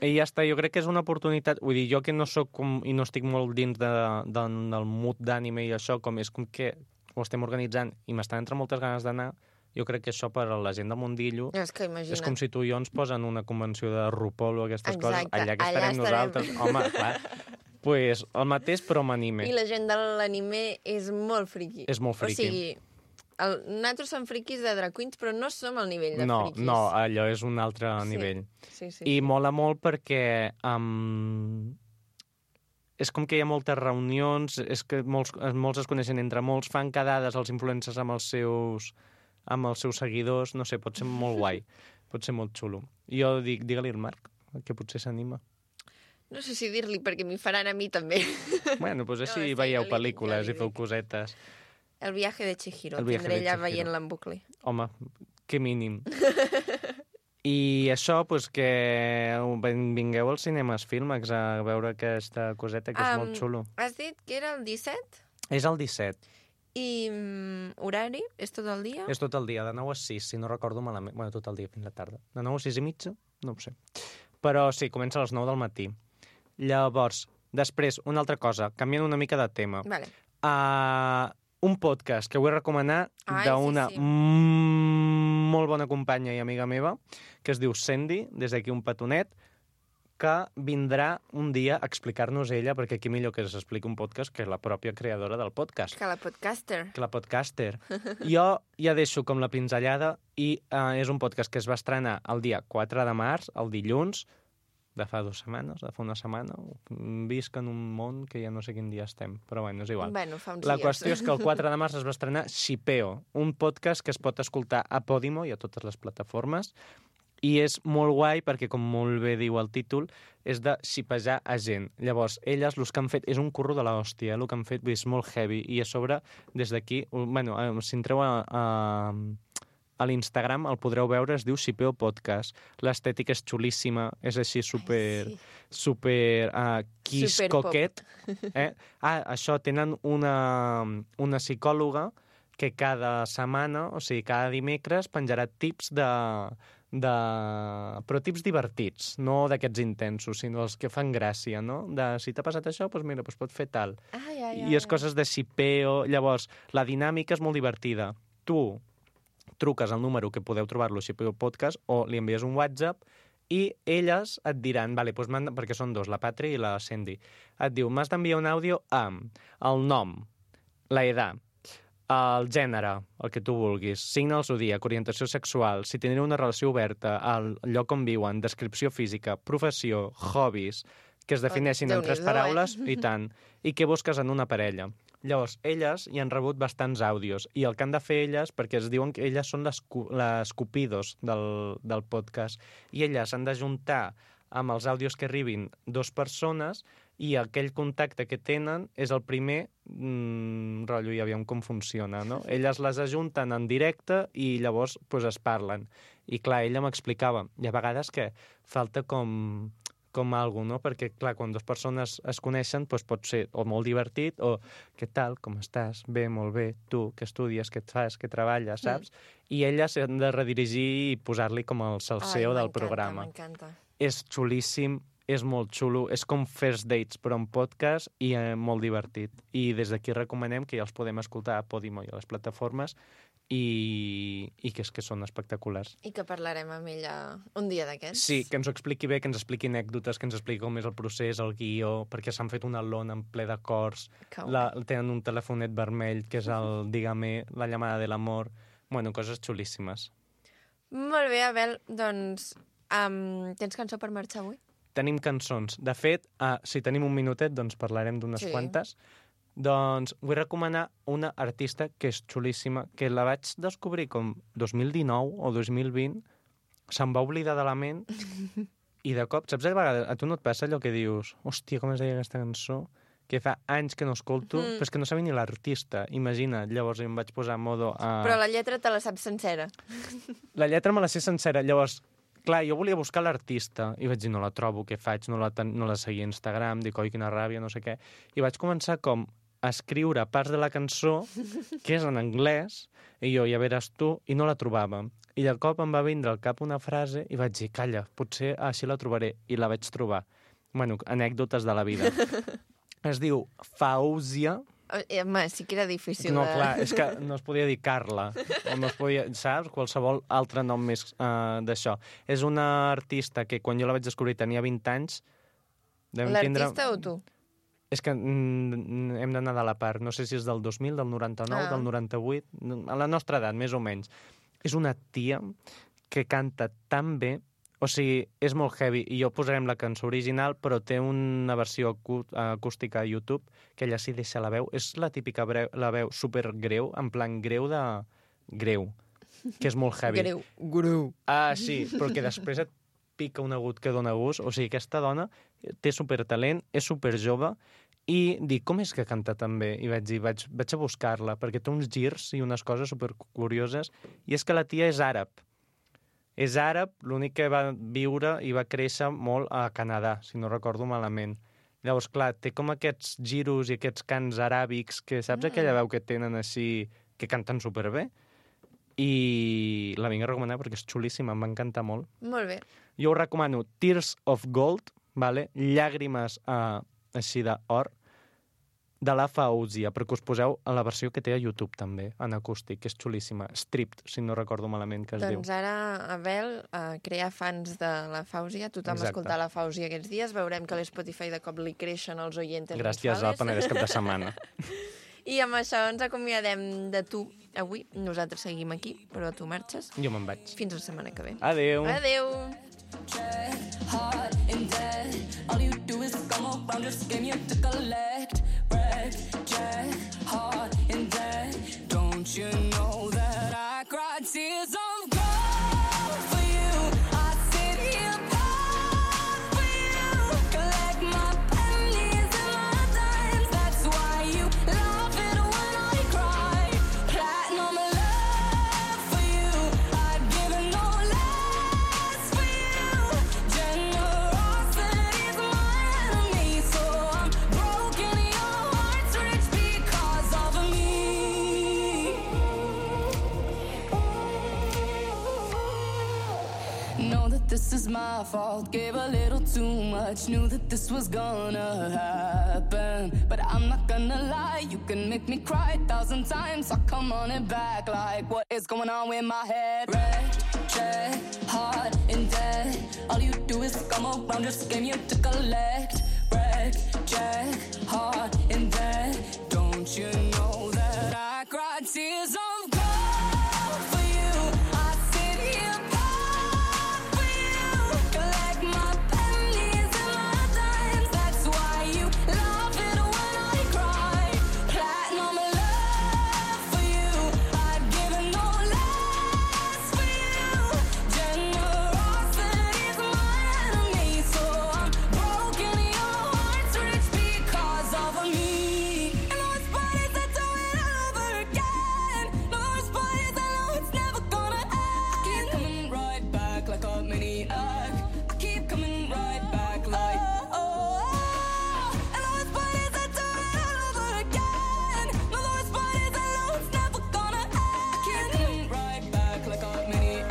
I ja està, jo crec que és una oportunitat, vull dir, jo que no soc i no estic molt dins del mood d'ànime i això, com és com que ho estem organitzant i m'estan entre moltes ganes d'anar, jo crec que això per a la gent de Mundillo és com si tu i jo ens posen una convenció de RuPaul o aquestes coses, allà que estarem nosaltres. Home, clar, pues el mateix però amb anime. I la gent de l'anime és molt friqui. És molt friqui. O sigui, nosaltres som friquis de drag queens, però no som al nivell de friquis. No, allò és un altre nivell. Sí. I mola molt perquè és com que hi ha moltes reunions, és que molts es coneixen entre molts, fan quedades els influencers amb els seus seguidors, no sé, pot ser molt guai, pot ser molt xulo. Jo dic, digue-li al Marc, que potser s'anima. No sé si dir-li, perquè m'hi faran a mi també. Bueno, doncs així veieu pel·lícules i feu cosetes. El viaje de Chihiro, tindré allà veient-la en bucle. Home, que mínim. I això, doncs que vingueu als cinemes Filmex a veure aquesta coseta que és molt xulo. Has dit que era el 17? És el 17. I horari? És tot el dia? És tot el dia, de 9 a 6, si no recordo malament. Bueno, tot el dia fins la tarda. De 9 a 6 i mitja? No ho sé. Però sí, comença a les 9 del matí. Llavors, després, una altra cosa, canviant una mica de tema. Vale. Un podcast que vull recomanar d'una molt bona companya i amiga meva, que es diu Sandy, des d'aquí un petonet, que vindrà un dia a explicar-nos ella, perquè aquí millor que s'expliqui un podcast que la pròpia creadora del podcast. Que la podcaster. Jo ja deixo com la pinzellada i és un podcast que es va estrenar el dia 4 de març, el dilluns, de fa 2 setmanes, de fa una setmana. Visc en un món que ja no sé quin dia estem, però bueno, és igual. Bueno, fa uns La dies. qüestió és que el 4 de març es va estrenar Xipeo, un podcast que es pot escoltar a Podimo i a totes les plataformes, i és molt guai perquè, com molt bé diu el títol, és de xipejar a gent. Llavors, elles, el que han fet, és un curro de l'hòstia, el que han fet és molt heavy, i a sobre, des d'aquí, bueno, si entreu a l'Instagram el podreu veure, es diu Xipeo Podcast. L'estètica és xulíssima, és així super kiss coquet. Això, tenen una psicòloga que cada setmana, o sigui, cada dimecres, penjarà tips però tips divertits, no d'aquests intensos, sinó els que fan gràcia, no? Si t'ha passat això, doncs mira, pot fer tal. I és coses de xipeo. Llavors, la dinàmica és molt divertida. Tu truques al número que podeu trobar-lo a Xipeo Podcast o li envies un WhatsApp i elles et diran, perquè són dos, la Patri i la Sandy, et diu, m'has d'enviar un àudio amb el nom, la edat, el gènere, el que tu vulguis, signe del zodíac, orientació sexual, si teniu una relació oberta, el lloc on viuen, descripció física, professió, hobbies, que es defineixin en 3 paraules, i tant, i què busques en una parella. Llavors, elles hi han rebut bastants àudios, i el que han de fer elles, perquè es diuen que elles són les cupidos del podcast, i elles han d'ajuntar amb els àudios que arribin 2 persones, i aquell contacte que tenen és el primer, rotllo, ja veiem com funciona, no? Elles les ajunten en directe i llavors es parlen. I clar, ella m'explicava, i a vegades que falta com alguna cosa, no? Perquè, clar, quan 2 persones es coneixen, pot ser o molt divertit o què tal, com estàs? Bé, molt bé. Tu, què estudies, què et fas, què treballes, saps? I elles s'han de redirigir i posar-li com el salseo del programa. M'encanta. És xulíssim, és molt xulo, és com First Dates, però en podcast, i molt divertit. I des d'aquí recomanem que ja els podem escoltar a Podimo i a les plataformes, i que és que són espectaculars. I que parlarem amb ella un dia d'aquests. Sí, que ens ho expliqui bé, que ens expliqui anècdotes, que ens expliqui com és el procés, el guió, perquè s'han fet una lona en ple d'acords, tenen un telefonet vermell, que és el Dígame, la llamada de l'amor, bueno, coses xulíssimes. Molt bé, Abel, doncs, tens cançó per marxar avui? Tenim cançons. De fet, si tenim un minutet, doncs parlarem d'unes quantes. Doncs vull recomanar una artista que és xulíssima, que la vaig descobrir com 2019 o 2020, se'm va oblidar de la ment, i de cop, saps, a tu no et passa allò que dius, hòstia, com es deia aquesta cançó? Que fa anys que no escolto, però és que no sabia ni l'artista, imagina't. Llavors em vaig posar en modo... Però la lletra te la saps sencera. La lletra me la sé sencera, llavors... Clar, jo volia buscar l'artista i vaig dir, no la trobo, què faig? No la seguia a Instagram, dic, oi, quina ràbia, no sé què. I vaig començar com a escriure parts de la cançó, que és en anglès, i jo, ja veràs tu, i no la trobava. I de cop em va vindre al cap una frase i vaig dir, calla, potser així la trobaré. I la vaig trobar. Bueno, anècdotes de la vida. Es diu Fausia. Home, sí que era difícil. No, clar, és que no es podia dir Carla, o no es podia, saps? Qualsevol altre nom més d'això. És una artista que quan jo la vaig descobrir tenia 20 anys. L'artista o tu? És que hem d'anar de la part. No sé si és del 2000, del 99, del 98, a la nostra edat, més o menys. És una tia que canta tan bé. O sigui, és molt heavy, i jo posarem la cançó original, però té una versió acústica a YouTube, que ella sí deixa la veu. És la típica la veu supergreu, en plan greu de... greu, que és molt heavy. Greu. Ah, sí, però que després et pica un agut que dona gust. O sigui, aquesta dona té supertalent, és superjove, i dic, com és que canta tan bé? I vaig dir, vaig a buscar-la, perquè té uns girs i unes coses supercurioses, i és que la tia és àrab. És àrab, l'únic que va viure i va créixer molt a Canadà, si no recordo malament. Llavors, clar, té com aquests giros i aquests cants aràbics que saps aquella veu que tenen així, que canten superbé? I la vinc a recomanar perquè és xulíssima, em va encantar molt. Molt bé. Jo us recomano Tears of Gold, vale? Llàgrimes així d'or, de la Fausia, perquè us poseu a la versió que té a YouTube també, en acústic, que és xulíssima. Stripped, si no recordo malament que es diu. Doncs ara, Abel, crear fans de la Fausia, tothom escoltar la Fausia aquests dies, veurem que l'Spotify de cop li creixen els oients. Gràcies al Penedès cap de setmana. I amb això ens acomiadem de tu avui. Nosaltres seguim aquí, però tu marxes. Jo me'n vaig. Fins la setmana que ve. Adéu. Adéu. Hard and dead. All you do is come around, just game you to collect. Break, jack, hard and dead. Don't you know that I cried tears of gold for you? I sit here proud for you. Collect my pennies and my dimes. That's why you love it when I cry. Platinum love for you. I'd give it no less for you. Generosity's my enemy, so I'm broken. Your heart's rich because of me. Know that this is my fault. Gave a little too much. Knew that this was gonna happen, but I'm not gonna lie. You can make me cry 1,000 times. So come on it back like what is going on with my head? Red, jet, hard and dead. All you do is come around, just game you to collect. Red, jet, hard and dead. Don't you know that I cried tears of gold for you? I sit here proud for you. Collect my pennies and my dimes. That's why you love it when I cry. Platinum love for you. I'd give it no less for you. Generosity's my enemy, so I'm broken. Your heart's rich because of me. And those bodies that do it all over again. Those bodies I know it's never gonna end. I keep coming right back like a maniac. I keep coming right back like And those bodies that do it all over again. No, those bodies I know it's never gonna end. I keep coming right back like a maniac.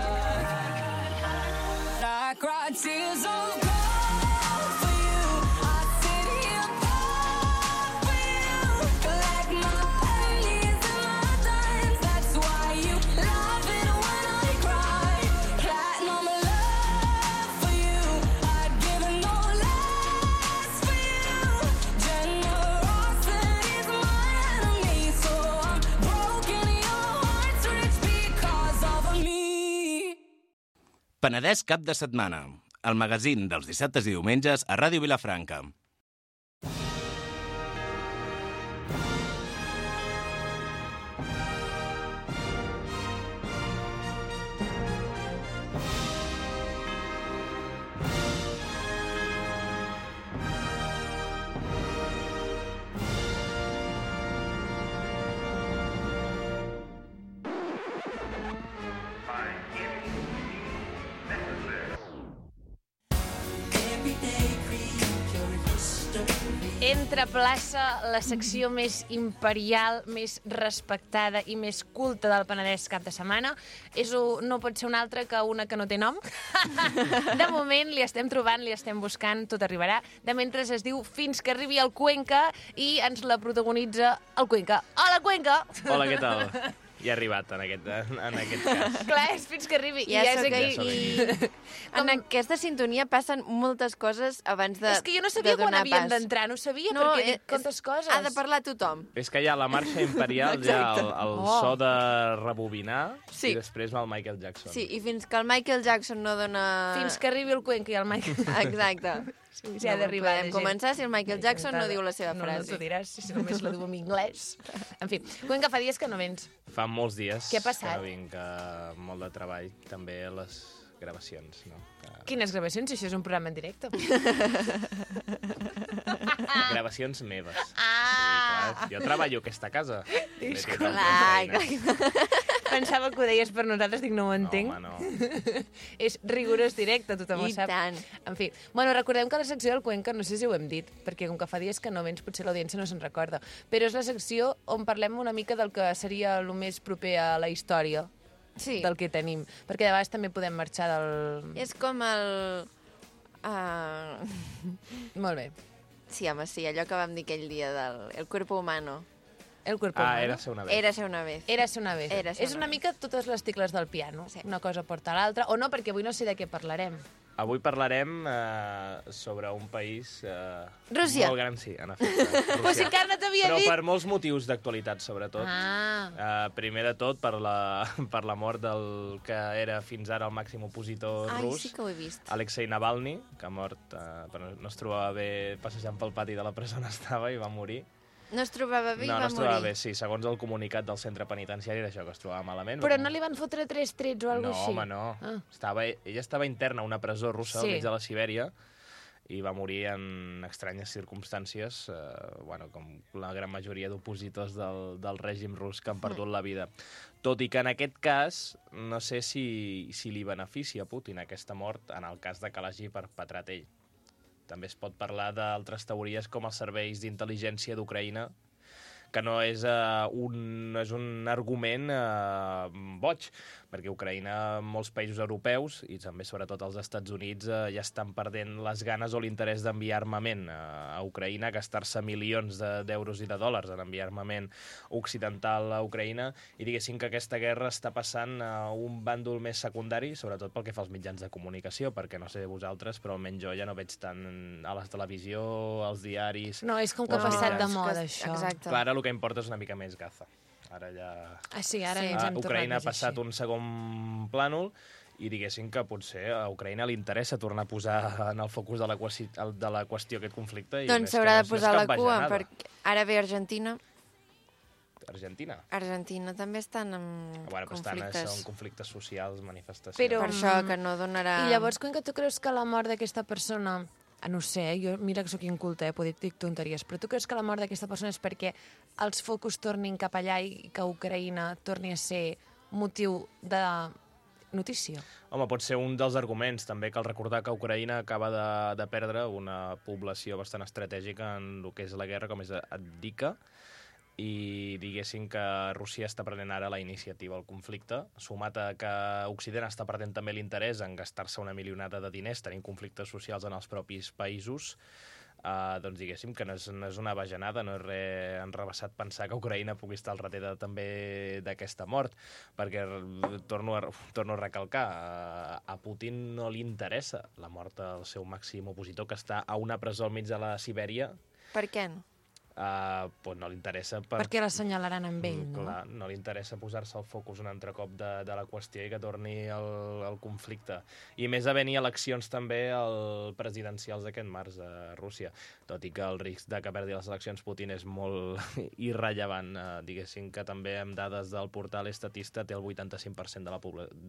I cried tears of gold for you. I sit here proud for you. Collect my pennies and my dimes. That's why you love it when I cry. Platinum love for you. I'd give it no less for you. Generosity's my enemy, so I'm broken. Your heart's rich because of me. Penedès cap de setmana, el magazín dels dissabtes i diumenges a Ràdio Vilafranca. Entre plaça, la secció més imperial, més respectada i més culta del Penedès cap de setmana. No pot ser una altra que una que no té nom. De moment li estem trobant, li estem buscant, tot arribarà. De mentre es diu Fins que arribi el Cuenca i ens la protagonitza el Cuenca. Hola, Cuenca! Hola, què tal? Ja he arribat en aquest cas. Clar, és fins que arribi. Ja és sóc aquí. aquí. En aquesta sintonia passen moltes coses abans de És que jo no sabia quan havien d'entrar, no sabia perquè he dit quantes coses. Ha de parlar tothom. És que hi ha la marxa imperial, hi ha el so de rebobinar, Sí. i després va el Michael Jackson. Sí, i fins que el Michael Jackson no dona... Fins que arribi el Cuenca i el Michael. Exacte. Sí, ha d'arribar. Podem començar si el Michael Jackson no diu la seva frase. No t'ho diràs, si només la diu en anglès. En fi, Cuenca, fa dies que no vens. Fa molts dies Què ha passat? que no vinc, molt de treball, també a les gravacions, no? Quines gravacions? Això és un programa en directe. Gravacions meves. Ah! Sí, clar, jo treballo a aquesta casa. Clar. Pensava que ho deies per nosaltres, dic, no ho entenc. No, home, no. És rigorós directe, tothom ho I sap. tant. En fi, bueno, recordem que la secció del Cuenca, no sé si ho hem dit, perquè com que fa dies que no vens, potser l'audiència no se'n recorda, però és la secció on parlem una mica del que seria el més proper a la història Sí. del que tenim, perquè de vegades també podem marxar del... És com el... Molt bé. Sí, home, sí, allò que vam dir aquell dia del el cuerpo humano. El cuerpo humano. Érase una vez. Érase una vez. Érase una vez. Érase És una una vez. mica totes les tecles del piano. Sí. Una cosa porta a l'altra. O no, perquè avui no sé de què parlarem. Avui parlarem sobre un país Rússia. molt gran, sí, en efecte. Però si encara no t'havia Però dit... per molts motius d'actualitat, sobretot. Primer de tot, per la mort del que era fins ara el màxim opositor Ai, rus, sí que ho he vist. Alexei Navalny, que ha mort, però no es trobava bé passejant pel pati de la presó on estava i va morir. No es trobava bé i va no es trobava morir. bé, sí. Segons el comunicat del centre penitenciari era això, que es trobava malament. Però no li van fotre 3 trets o alguna No, així? home, no. Ah. Ella estava interna a una presó russa Sí. al mig de la Sibèria i va morir en estranyes circumstàncies, com la gran majoria d'opositors del règim rus que han perdut la vida. Tot i que en aquest cas, no sé si li beneficia a Putin aquesta mort en el cas de que l'hagi perpetrat ell. També es pot parlar d'altres teories com els serveis d'intel·ligència d'Ucraïna, que no és un argument boig, perquè Ucraïna, molts països europeus, i també sobretot els Estats Units, ja estan perdent les ganes o l'interès d'enviar armament a Ucraïna, gastar-se milions d'euros i de dòlars en enviar armament occidental a Ucraïna, i diguéssim que aquesta guerra està passant a un bàndol més secundari, sobretot pel que fa als mitjans de comunicació, perquè no sé vosaltres, però almenys jo ja no veig tant a la televisió, als diaris... No, és com que ha als passat de mitjans. moda, això. Exacte. Clar, ara el que importa és una mica més Gaza. Ara ja... Sí, ara Sí. ens hem tornat Ucraïna ha més passat així. un segon plànol i diguéssim que potser a Ucraïna li interessa tornar a posar en el focus de la qüestió aquest conflicte. I Doncs més que s'haurà no de posar és la cap cua, bajanada. perquè ara ve Argentina. Argentina. També estan en Bueno, però conflictes. són conflictes socials, manifestacions. Però- Per això que no donarà... I llavors, com que tu creus que la mort d'aquesta persona... No sé, jo mira que sóc inculta, poder dir tonteries, però tu creus que la mort d'aquesta persona és perquè els focus tornin cap allà i que Ucraïna torni a ser motiu de notícia? Home, pot ser un dels arguments. També cal recordar que Ucraïna acaba de perdre una població bastant estratègica en el que és la guerra, com és Avdiivka, i diguéssim que Rússia està prenent ara la iniciativa al conflicte, sumat a que Occident està perdent també l'interès en gastar-se una milionada de diners tenint conflictes socials en els propis països, doncs diguéssim que no és una bajanada, no és res enrevessat pensar que Ucraïna pugui estar al darrere també d'aquesta mort, perquè torno a recalcar, a Putin no li interessa la mort del seu màxim opositor, que està a una presó al mig de la Sibèria. Per què no? Pues no li interessa... Perquè l'assenyalaran amb ell, no? Clar, no li interessa posar-se el focus un altre cop de la qüestió i que torni el conflicte. I més havent-hi eleccions també presidencials d'aquest març a Rússia, tot i que el risc de que perdi les eleccions Putin és molt irrellevant. Diguéssim que també amb dades del portal Estatista té el 85%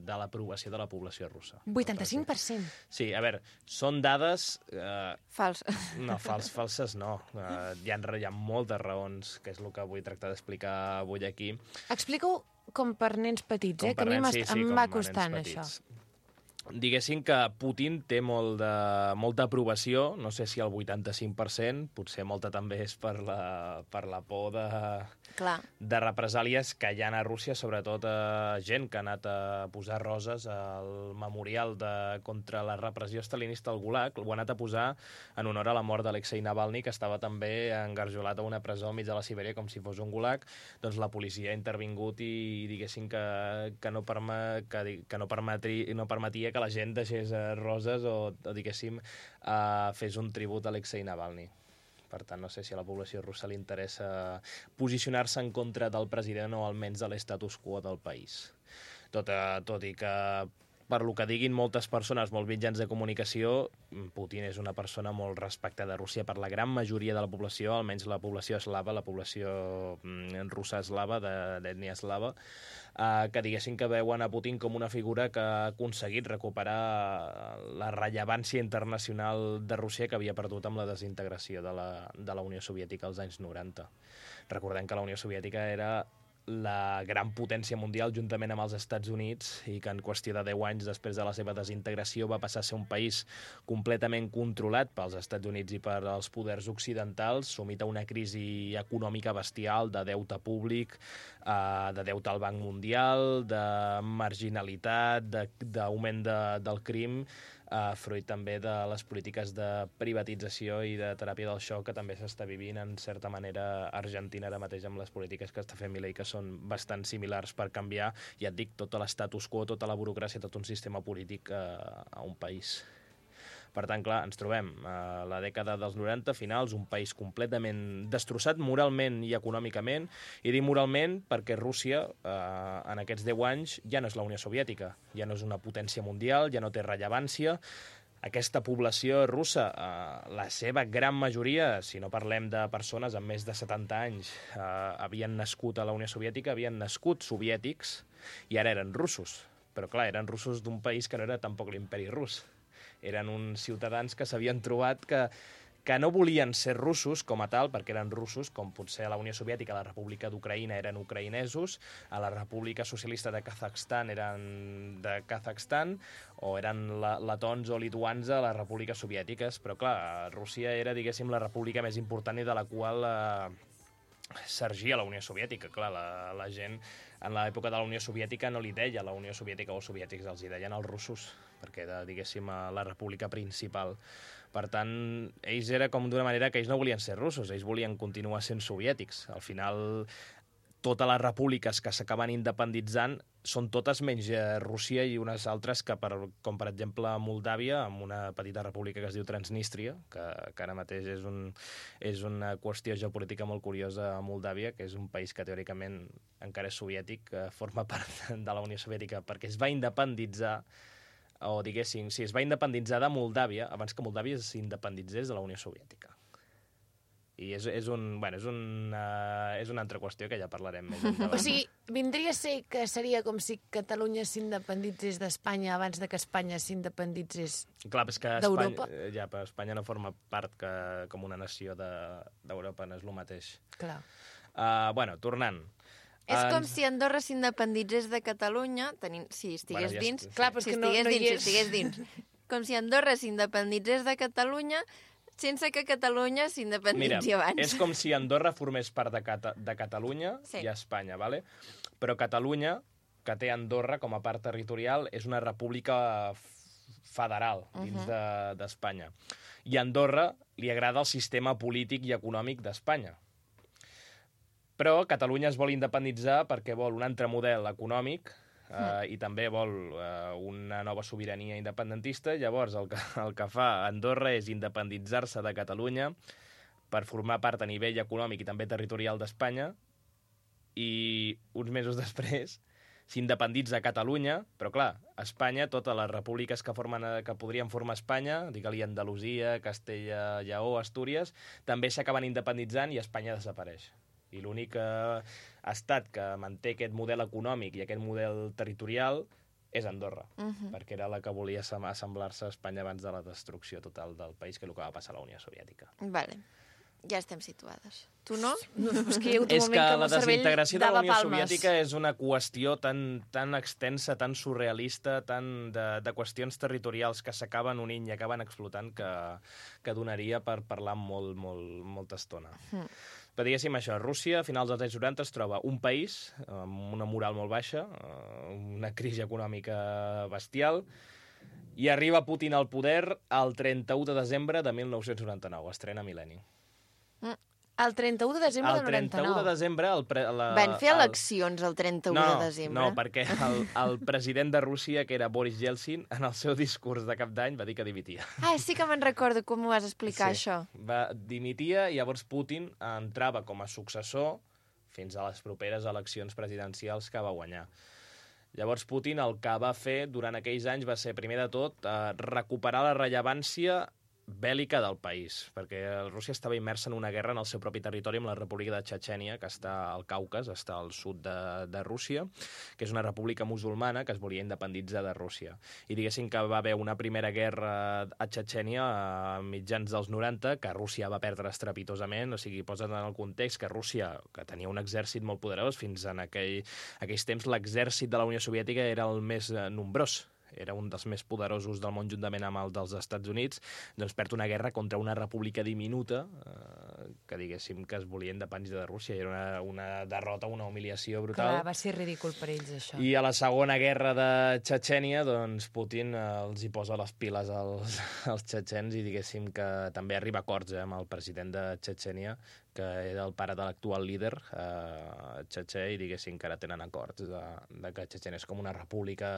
de l'aprovació de la població russa. 85%? Sí, a veure, són dades... Fals. No, falses no. Hi ha moltes raons, que és el que vull tractar d'explicar avui aquí. Explica-ho com per nens petits, Com que per a mi nens, sí, em com va a nens costant, petits. això. Diguéssim que Putin té molta aprovació, no sé si el 85%, potser molta també és per la por de represàlies que hi ha a Rússia, sobretot gent que ha anat a posar roses al memorial contra la repressió stalinista al Gulag, ho ha anat a posar en honor a la mort d'Alexei Navalny, que estava també engarjolat a una presó al mig de la Sibèria com si fos un Gulag. Doncs la policia ha intervingut i diguéssim que no permetia que la gent deixés roses o diguéssim, fes un tribut a Alexei Navalny. Per tant, no sé si a la població russa li interessa posicionar-se en contra del president o almenys de l'estatus quo del país. Tot i que, per lo que diguin moltes persones, molts mitjans de comunicació, Putin és una persona molt respectada a Rússia per la gran majoria de la població, almenys la població eslava, la població russa eslava, d'ètnia eslava, que diguessin que veuen a Putin com una figura que ha aconseguit recuperar la rellevància internacional de Rússia que havia perdut amb la desintegració de la Unió Soviètica als anys 90. Recordem que la Unió Soviètica era la gran potència mundial juntament amb els Estats Units i que en qüestió de 10 anys després de la seva desintegració va passar a ser un país completament controlat pels Estats Units i per als poders occidentals, sumit a una crisi econòmica bestial, de deute públic, de deute al Banc Mundial, de marginalitat, d'augment del crim, fruit també de les polítiques de privatització i de teràpia del xoc que també s'està vivint en certa manera a Argentina ara mateix amb les polítiques que està fent Milei, que són bastant similars per canviar, ja et dic, tot l'estatus quo, tota la burocràcia, tot un sistema polític a un país. Per tant, clar, ens trobem a la dècada dels 90 finals, un país completament destrossat moralment i econòmicament, i dic moralment perquè Rússia, en aquests 10 anys, ja no és la Unió Soviètica, ja no és una potència mundial, ja no té rellevància. Aquesta població russa, la seva gran majoria, si no parlem de persones amb més de 70 anys, havien nascut a la Unió Soviètica, havien nascut soviètics i ara eren russos. Però clar, eren russos d'un país que no era tampoc l'imperi rus. Eren uns ciutadans que s'havien trobat que no volien ser russos com a tal, perquè eren russos, com potser a la Unió Soviètica, a la República d'Ucraïna eren ucraïnesos, a la República Socialista de Kazakhstan eren de Kazakhstan, o eren letons o lituans a les repúbliques soviètiques. Però clar, Rússia era, diguéssim, la república més important i de la qual sorgia la Unió Soviètica. Clar, la gent en l'època de la Unió Soviètica no li deia la Unió Soviètica o soviètics, els hi deien els russos, perquè era, diguéssim, la república principal. Per tant, ells era com d'una manera que ells no volien ser russos, ells volien continuar sent soviètics. Al final, totes les repúbliques que s'acaben independitzant són totes menys Rússia i unes altres que, com per exemple Moldàvia, amb una petita república que es diu Transnistria, que ara mateix és una qüestió geopolítica molt curiosa a Moldàvia, que és un país que teòricament encara és soviètic, que forma part de la Unió Soviètica, perquè es va independitzar, o diguéssim, sí, es va independitzar de Moldàvia abans que Moldàvia s'independitzés de la Unió Soviètica. I és una altra qüestió que ja parlarem més endavant. O sigui, vindria a ser que seria com si Catalunya s'independitzés d'Espanya abans de que Espanya s'independitzés d'Europa? Ja, però Espanya no forma part com una nació d'Europa, no és el mateix. Clar. Tornant. És com si Andorra s'independitzés de Catalunya, si estigués dins. Clar, però és que no hi és. Com si Andorra s'independitzés de Catalunya sense que Catalunya s'independitzi abans. Mira, és com si Andorra formés part de Catalunya i Espanya, ¿vale? Però Catalunya, que té Andorra com a part territorial, és una república federal dins d'Espanya. I a Andorra li agrada el sistema polític i econòmic d'Espanya. Però Catalunya es vol independitzar perquè vol un altre model econòmic i també vol una nova sobirania independentista. Llavors el que fa Andorra és independitzar-se de Catalunya per formar part a nivell econòmic i també territorial d'Espanya, i uns mesos després s'independitza Catalunya, però clar, Espanya, totes les repúbliques que podrien formar Espanya, digue-li Andalusia, Castella, Lleó, Astúries, també s'acaben independitzant i Espanya desapareix. I l'únic estat que manté aquest model econòmic i aquest model territorial és Andorra, perquè era la que volia assemblar-se a Espanya abans de la destrucció total del país, que és el que va passar a la Unió Soviètica. Vale, ja estem situades. Tu no? És que la desintegració de la Unió Soviètica és una qüestió tan extensa, tan surrealista, tan de qüestions territorials que s'acaben unint i acaben explotant que donaria per parlar molta estona. Però diguéssim això, Rússia a finals dels anys 90 es troba un país amb una moral molt baixa, una crisi econòmica bestial, i arriba Putin al poder el 31 de desembre de 1999, estrena Mil·lenni. El 31 de desembre del 99. El 31 de desembre... Van fer eleccions el 31 de desembre? No, perquè el president de Rússia, que era Boris Yeltsin, en el seu discurs de cap d'any va dir que dimitia. Sí que me'n recordo com ho vas explicar, això. Dimitia, i llavors Putin entrava com a successor fins a les properes eleccions presidencials que va guanyar. Llavors Putin el que va fer durant aquells anys va ser, primer de tot, recuperar la rellevància bèl·lica del país, perquè Rússia estava immersa en una guerra en el seu propi territori amb la República de Txetxènia, que està al Caucas, està al sud de Rússia, que és una república musulmana que es volia independitzar de Rússia. I diguéssim que va haver una primera guerra a Txetxènia a mitjans dels 90, que Rússia va perdre estrepitosament, o sigui, posa't en el context que Rússia, que tenia un exèrcit molt poderós, fins en aquells temps l'exèrcit de la Unió Soviètica era el més nombrós. era un dels més poderosos del món juntament amb el dels Estats Units, doncs perd una guerra contra una república diminuta que diguéssim que es volia independència de Rússia. I era una derrota, una humiliació brutal. Clar, va ser ridícul per ells, això. I a la segona guerra de Txetxènia, doncs Putin els hi posa les piles als txetxens i diguéssim que també arriba a acords amb el president de Txetxènia, que era el pare de l'actual líder txetxè, i diguéssim que ara tenen acords de que Txetxènia és com una república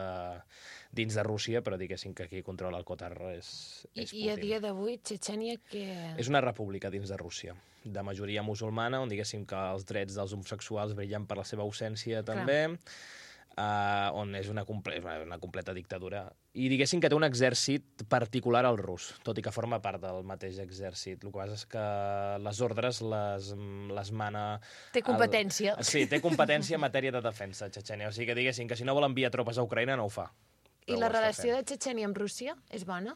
dins de Rússia, però diguéssim que qui controla el Kotar és Putin. I a dia d'avui, Txetxènia, què... És una república dins de Rússia, de majoria musulmana, on diguéssim que els drets dels homosexuals brillen per la seva ausència també, on és una completa dictadura. I diguéssim que té un exèrcit particular al rus, tot i que forma part del mateix exèrcit. El que passa és que les ordres les mana... Té competència. Sí, té competència en matèria de defensa, Txetxènia. O sigui que diguéssim que si no vol enviar tropes a Ucraïna no ho fa. I la relació de Txetxènia amb Rússia és bona?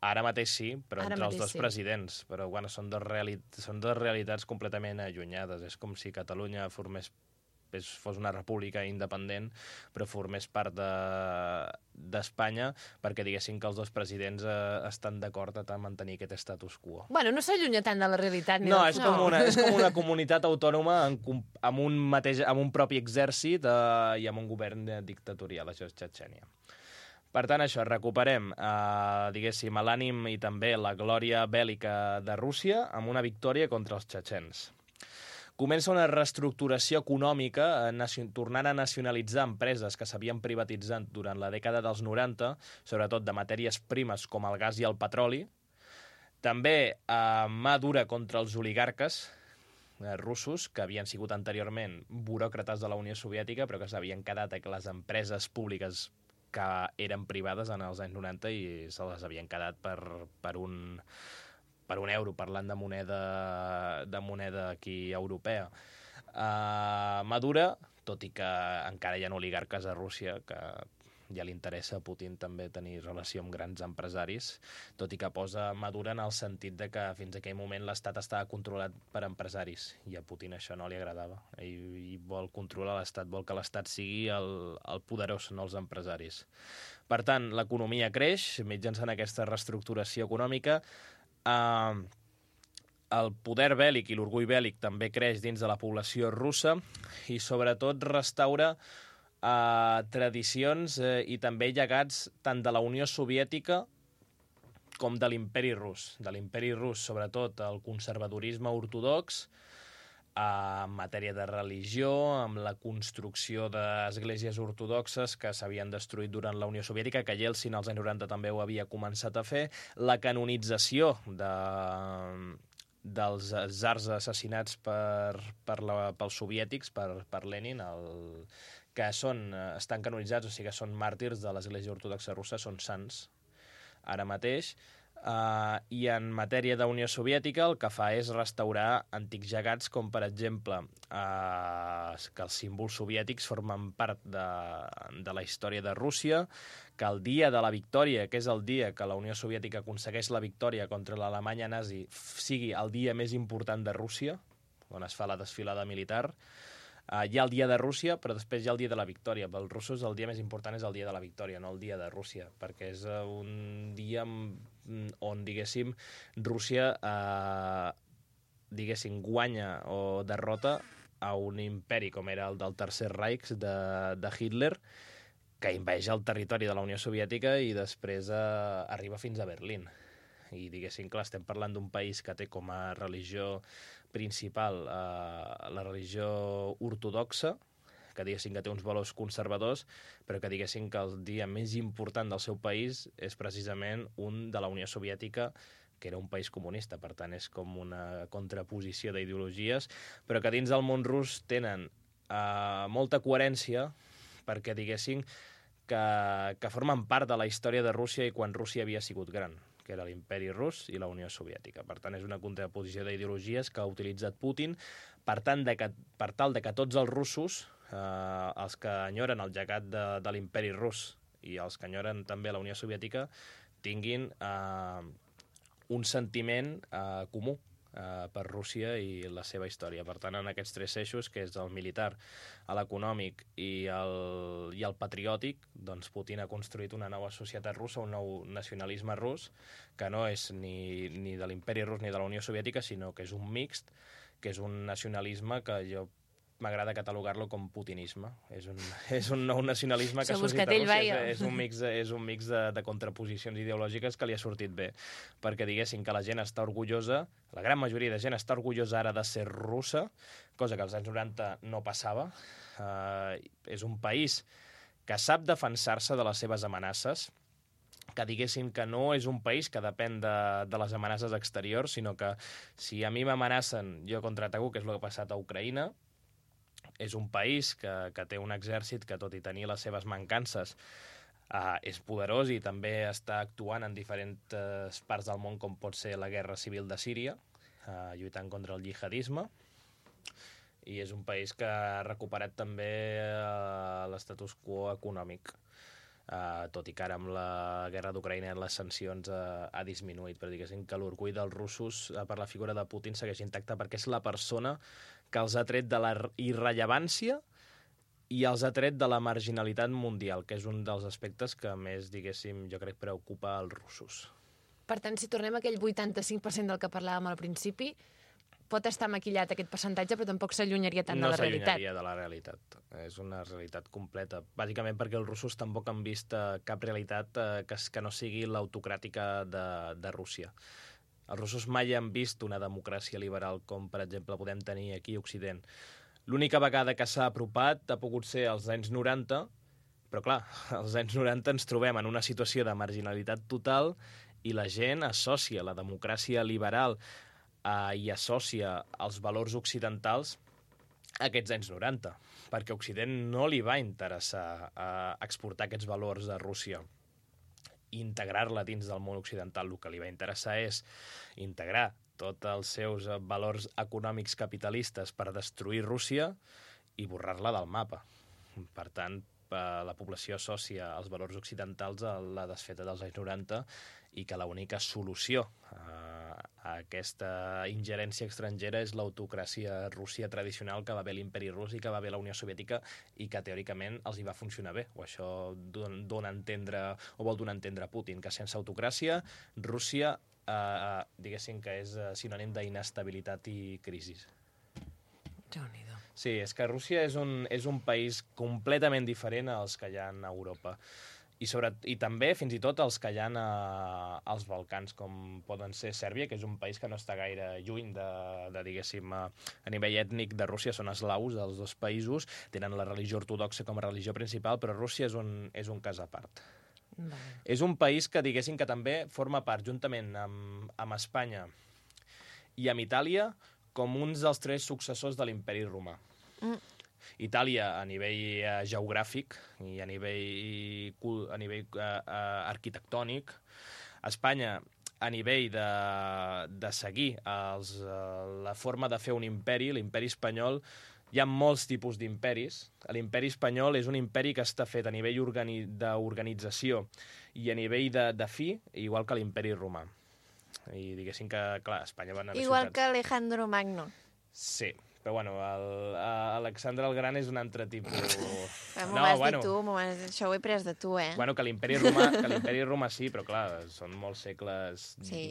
Ara mateix sí, però Ara entre els mateix dos sí. presidents. Però bueno, són dues realitats completament allunyades. És com si Catalunya fos una república independent, però formés part d'Espanya, perquè diguéssim que els dos presidents estan d'acord a mantenir aquest status quo. Bueno, no s'allunya tant de la realitat. No, és com una comunitat autònoma amb un propi exèrcit i amb un govern dictatorial, això és Txetxènia. Per tant, això, recuperem, diguéssim, l'ànim i també la glòria bèl·lica de Rússia amb una victòria contra els txetxens. Comença una reestructuració econòmica, tornant a nacionalitzar empreses que s'havien privatitzat durant la dècada dels 90, sobretot de matèries primes com el gas i el petroli. També mà dura contra els oligarques russos, que havien sigut anteriorment buròcrates de la Unió Soviètica, però que s'havien quedat a les empreses públiques que eren privades en els anys 90 i se les havien quedat per un euro, parlant de moneda aquí europea. Madura, tot i que encara hi ha oligarques a Rússia, que ja li interessa a Putin també tenir relació amb grans empresaris, tot i que posa Madura en el sentit de que fins a aquell moment l'Estat estava controlat per empresaris, i a Putin això no li agradava. Ell vol controlar l'Estat, vol que l'Estat sigui el poderós, no els empresaris. Per tant, l'economia creix mitjançant aquesta reestructuració econòmica. El poder bèl·lic i l'orgull bèl·lic també creix dins de la població russa i sobretot restaura tradicions i també llegats tant de la Unió Soviètica com de l'imperi rus. De l'imperi rus, sobretot, el conservadorisme ortodox, en matèria de religió, amb la construcció d'esglésies ortodoxes que s'havien destruït durant la Unió Soviètica, que Yeltsin als anys 90 també ho havia començat a fer, la canonització dels zars assassinats pels soviètics, per Lenin, que estan canonitzats, o sigui que són màrtirs de l'Església Ortodoxa Russa, són sants ara mateix. I en matèria d'Unió Soviètica el que fa és restaurar antics llegats, com per exemple que els símbols soviètics formen part de la història de Rússia, que el dia de la victòria, que és el dia que la Unió Soviètica aconsegueix la victòria contra l'Alemanya nazi, sigui el dia més important de Rússia, on es fa la desfilada militar. Hi ha el dia de Rússia, però després hi ha el dia de la victòria. Pels russos el dia més important és el dia de la victòria, no el dia de Rússia, perquè és un dia on, diguéssim, Rússia guanya o derrota a un imperi com era el del Tercer Reich de Hitler, que inveix el territori de la Unió Soviètica i després arriba fins a Berlín. I diguéssim, clar, estem parlant d'un país que té com a religió principal la religió ortodoxa, que diguéssim que té uns valors conservadors, però que diguéssim que el dia més important del seu país és precisament un de la Unió Soviètica, que era un país comunista. Per tant, és com una contraposició d'ideologies, però que dins del món rus tenen molta coherència, perquè diguéssim que formen part de la història de Rússia i quan Rússia havia sigut gran, que era l'imperi rus i la Unió Soviètica. Per tant, és una contraposició d'ideologies que ha utilitzat Putin per tal de que tots els russos, els que enyoren el llegat de l'imperi rus i els que enyoren també la Unió Soviètica, tinguin un sentiment comú per Rússia i la seva història. Per tant, en aquests 3 eixos, que és el militar, l'econòmic i el patriòtic, doncs Putin ha construït una nova societat russa, un nou nacionalisme rus, que no és ni de l'imperi rus ni de la Unió Soviètica, sinó que és un mixt, que és un nacionalisme que jo m'agrada catalogar-lo com putinisme. És un nou nacionalisme que ha sortit a Rússia. És un mix de contraposicions ideològiques que li ha sortit bé. Perquè diguéssim que la gent està orgullosa, la gran majoria de gent està orgullosa ara de ser russa, cosa que als anys 90 no passava. És un país que sap defensar-se de les seves amenaces, que diguéssim que no és un país que depèn de les amenaces exteriors, sinó que si a mi m'amenacen, jo contraataco, que és el que ha passat a Ucraïna. És un país que té un exèrcit que, tot i tenir les seves mancances, és poderós i també està actuant en diferents parts del món, com pot ser la guerra civil de Síria, lluitant contra el jihadisme. I és un país que ha recuperat també l'estatus quo econòmic, tot i que ara amb la guerra d'Ucraïna les sancions ha disminuït, però diguéssim que l'orgull dels russos per la figura de Putin segueix intacte perquè és la persona que els ha tret de la irrellevància i els ha tret de la marginalitat mundial, que és un dels aspectes que més, diguéssim, jo crec preocupa als russos. Per tant, si tornem a aquell 85% del que parlàvem al principi, pot estar maquillat aquest percentatge, però tampoc s'allunyaria tant de la realitat. No s'allunyaria de la realitat. És una realitat completa. Bàsicament perquè els russos tampoc han vist cap realitat que no sigui l'autocràtica de Rússia. Els russos mai han vist una democràcia liberal com, per exemple, podem tenir aquí a Occident. L'única vegada que s'ha apropat ha pogut ser als anys 90, però clar, als anys 90 ens trobem en una situació de marginalitat total i la gent associa la democràcia liberal i associa els valors occidentals a aquests anys 90, perquè a Occident no li va interessar exportar aquests valors a Rússia, integrar-la dins del món occidental. El que li va interessar és integrar tots els seus valors econòmics capitalistes per destruir Rússia i borrar-la del mapa. Per tant, la població associa els valors occidentals a la desfeta dels anys 90 i que l'única solució a aquesta ingerència estrangera és l'autocràcia rússia tradicional que va haver l'imperi rus i que va haver la Unió Soviètica i que teòricament els hi va funcionar bé. O això dona a entendre, o vol donar a entendre Putin, que sense autocràcia Rússia, diguéssim que és sinònim d'inestabilitat i crisi. Déu-n'hi-do. Sí, és que Rússia és un país completament diferent als que hi ha a Europa. I també, fins i tot, els que hi ha als Balcans, com poden ser Sèrbia, que és un país que no està gaire lluny diguéssim, a nivell ètnic de Rússia, són eslaus, els dos països, tenen la religió ortodoxa com a religió principal, però Rússia és un cas a part. Vale. És un país que, diguéssim, que també forma part, juntament amb Espanya i amb Itàlia, com uns dels 3 successors de l'imperi romà. Itàlia a nivell geogràfic i a nivell arquitectònic, Espanya a nivell de seguir la forma de fer un imperi, l'imperi espanyol. Hi ha molts tipus d'imperis. L'imperi espanyol és un imperi que està fet a nivell d'organització i a nivell de fi, igual que l'imperi romà. I diguéssim que, clar, Espanya va anar a igual que Alejandro Magno. Sí, però bueno, Alexandre el Gran és un altre tipus... M'ho vas dir tu, això ho he pres de tu, eh? Bueno, que l'imperi romà sí, però clar, són molts segles... Sí.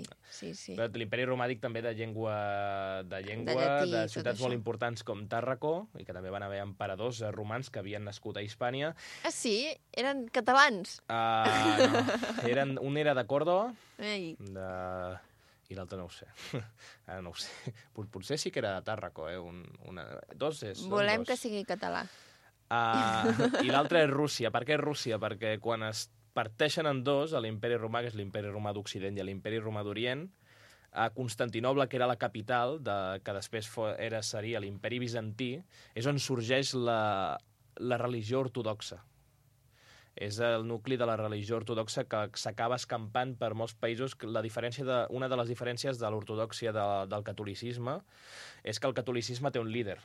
Però l'imperi romà dic també de llengua, llatí, de ciutats molt això. importants com Tàrraco, i que també van haver emperadors romans que havien nascut a Hispània. Ah, sí? Eren catalans? No, un era de Còrdova, Ei. i l'altre no ho sé. Ara no ho sé. Potser sí que era de Tàrraco, dos és... Volem que sigui català. I l'altre és Rússia. Per què és Rússia? Perquè quan es parteixen en dos, l'imperi romà, que és l'imperi romà d'Occident, i l'imperi romà d'Orient, a Constantinoble, que era la capital, que després seria l'imperi bizantí, és on sorgeix la religió ortodoxa. És el nucli de la religió ortodoxa que s'acaba escampant per molts països. Una de les diferències de l'ortodòxia del catolicisme és que el catolicisme té un líder,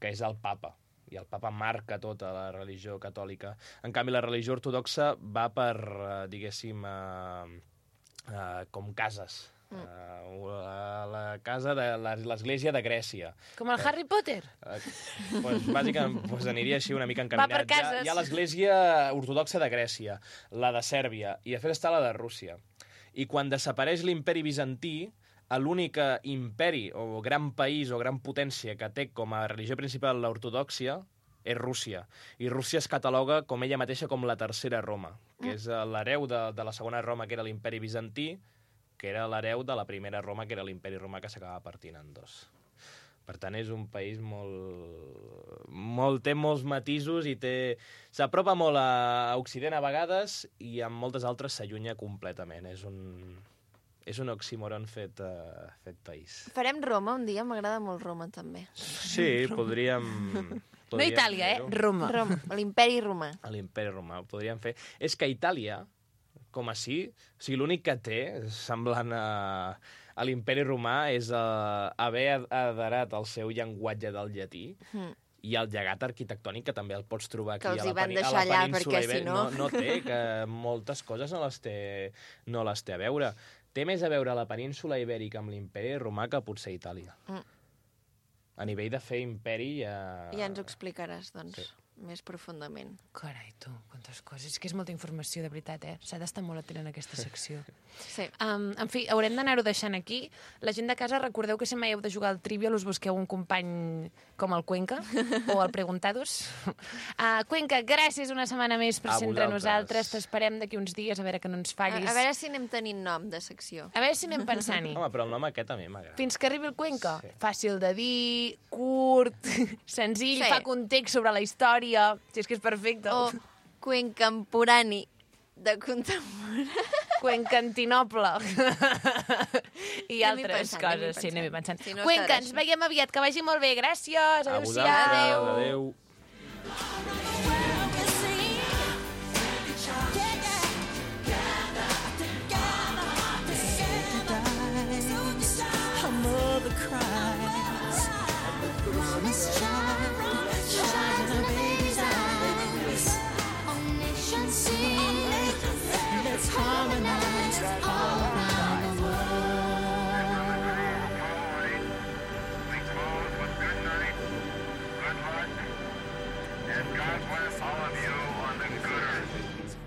que és el papa, i el papa marca tota la religió catòlica. En canvi, la religió ortodoxa va per, diguéssim, com cases. La casa de l'església de Grècia. Com el Harry Potter? Bàsicament, aniria així una mica Va encaminat. per cases. Hi ha l'església ortodoxa de Grècia, la de Sèrbia, i després està la de Rússia. I quan desapareix l'imperi bizantí, l'únic imperi o gran país o gran potència que té com a religió principal l'ortodòxia és Rússia. I Rússia es cataloga com ella mateixa com la tercera Roma, que és l'hereu de la segona Roma, que era l'imperi bizantí, que era l'hereu de la primera Roma, que era l'imperi romà, que s'acaba partint en dos. Per tant, és un país té molts matisos i s'apropa molt a Occident a vegades i en moltes altres s'allunya completament. És un oxímoron fet país. Farem Roma un dia, m'agrada molt Roma, també. Sí, podríem... No Itàlia, Roma. Roma, l'imperi romà. L'imperi romà, ho podríem fer. És que Itàlia, com així, o sigui, l'únic que té, semblant a l'imperi romà, és haver aderat al seu llenguatge del llatí i el llegat arquitectònic, que també el pots trobar aquí a la península ibèrica. No té, que moltes coses no les té a veure. Té més a veure la península ibèrica amb l'imperi romà que potser Itàlia. A nivell de fer imperi ja ens ho explicaràs, doncs, més profundament. Carai, tu, quantes coses. És que és molta informació, de veritat, S'ha d'estar molt atent en aquesta secció. Sí. En fi, haurem d'anar-ho deixant aquí. La gent de casa, recordeu que si mai heu de jugar al Trivial us busqueu un company com el Cuenca o el Preguntados. Cuenca, gràcies una setmana més per ser entre nosaltres. T'esperem d'aquí uns dies, a veure que no ens fallis. A veure si anem tenint nom de secció. A veure si anem pensant-hi. Home, però el nom aquest a mi m'agrada. Fins que arribi el Cuenca. Sí. Fàcil de dir, curt, senzill, fa context sobre la història. Si és que és perfecte. O cuencamporani de contemporani. Cuencantinople. I altres coses. Sí, anem pensant. Cuenca, ens veiem aviat. Que vagi molt bé. Gràcies. Adéu-siau. Adéu. Let's harmonize all around the world. We close with good night, good luck, and God bless all of you on the good earth.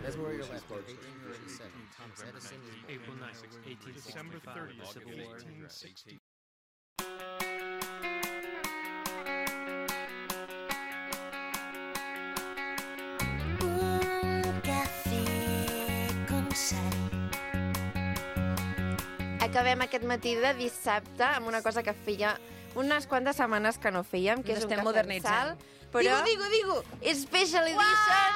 That's where you're left. 1837. Thomas Edison. April 9th, 1865. December 30th, Civil War. 1860. Acabem aquest matí de dissabte amb una cosa que feia unes quantes setmanes que no fèiem, que és un cafè amb sal. Però Digo! Special Edition!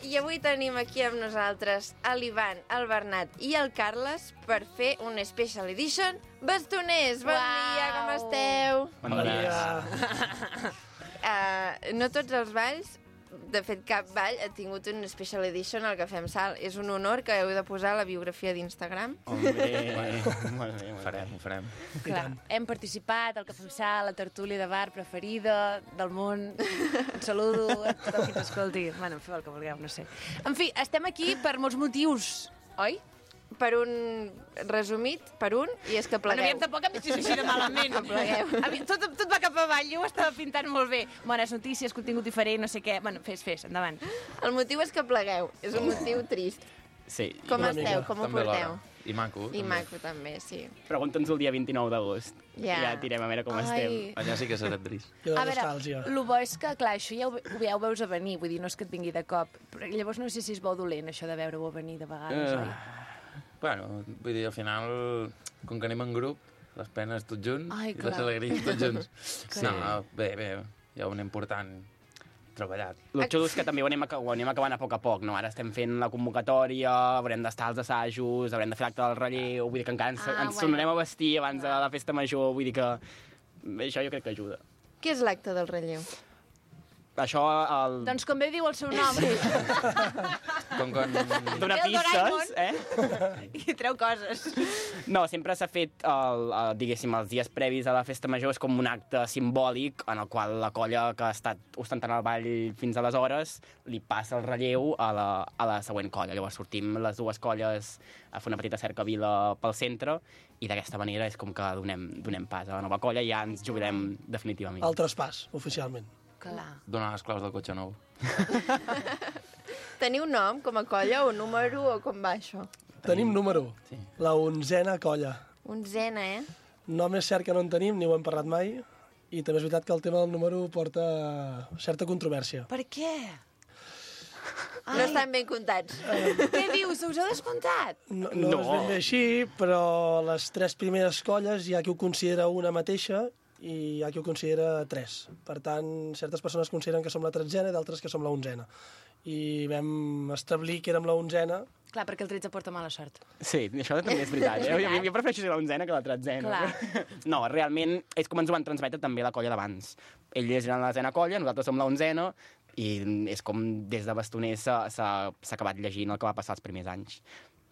I avui tenim aquí amb nosaltres l'Ivan, el Bernat i el Carles per fer un Special Edition Bastoners. Bon dia, com esteu? Bon dia. No tots els balls, de fet cap ball, ha tingut un Special Edition al Cafè amb Sal. És un honor que heu de posar a la biografia d'Instagram. Molt bé, ho farem. Clar, hem participat al Cafè amb Sal, la tertúlia de bar preferida del món. Un saludo a tothom qui t'escolti. Bueno, feu el que vulgueu, no sé. En fi, estem aquí per molts motius, oi? Per un resumit, i és que plegueu. Bueno, tampoc em deixis així de malament. Tot va cap avall, jo ho estava pintant molt bé. Bones notícies, contingut diferent, no sé què. Bueno, fes, endavant. El motiu és que plegueu, és un motiu trist. Sí. Com esteu, com ho porteu? I maco. I maco, també, sí. Pregunta'ns el dia 29 d'agost. Ja tirem a veure com estem. Allà sí que serà trist. A veure, el bo és que, clar, això ja ho veus a venir, vull dir, no és que et vingui de cop. Però llavors no sé si és bo o dolent, això de veure-ho a venir de vegades, oi? Bueno, vull dir, al final, com que anem en grup, les penes tots junts i les alegries tots junts. No, bé, hi ha un important treballat. El xulo és que també ho anem acabant a poc, no? Ara estem fent la convocatòria, haurem d'estar als assajos, haurem de fer l'acte del relleu, vull dir que encara ens tornarem a vestir abans de la festa major, vull dir que això jo crec que ajuda. Què és l'acte del relleu? això... Doncs com bé diu el seu nom. Com quan... Donar pistes, I treu coses. No, sempre s'ha fet, diguéssim, els dies previs a la festa major és com un acte simbòlic en el qual la colla que ha estat ostentant el ball fins aleshores li passa el relleu a la següent colla. Llavors sortim les dues colles a fer una petita cercavila pel centre i d'aquesta manera és com que donem pas a la nova colla i ja ens jubilem definitivament. El traspàs, oficialment. Clar. Donar les claus del cotxe nou. Teniu nom com a colla o número o com va això? Tenim número. Sí. La 11a colla. 11a, Nom és cert que no en tenim, ni ho hem parlat mai, i també és veritat que el tema del número porta certa controvèrsia. Per què? No estan ben comptats. Què dius? Us heu descomptat? No és ben bé així, però les 3 primeres colles hi ha qui ho considera una mateixa i hi ha qui ho considera 3. Per tant, certes persones consideren que som la 13a i d'altres que som la 11a. I vam establir que érem la 11a. Clar, perquè el 13 porta mala sort. Sí, això també és veritat. Jo prefereixo ser la 11a que la 13a. No, realment és com ens ho van transmetre també la colla d'abans. Ells eren la 10a colla, nosaltres som la 11a, i és com des de bastoners s'ha acabat llegint el que va passar els primers anys.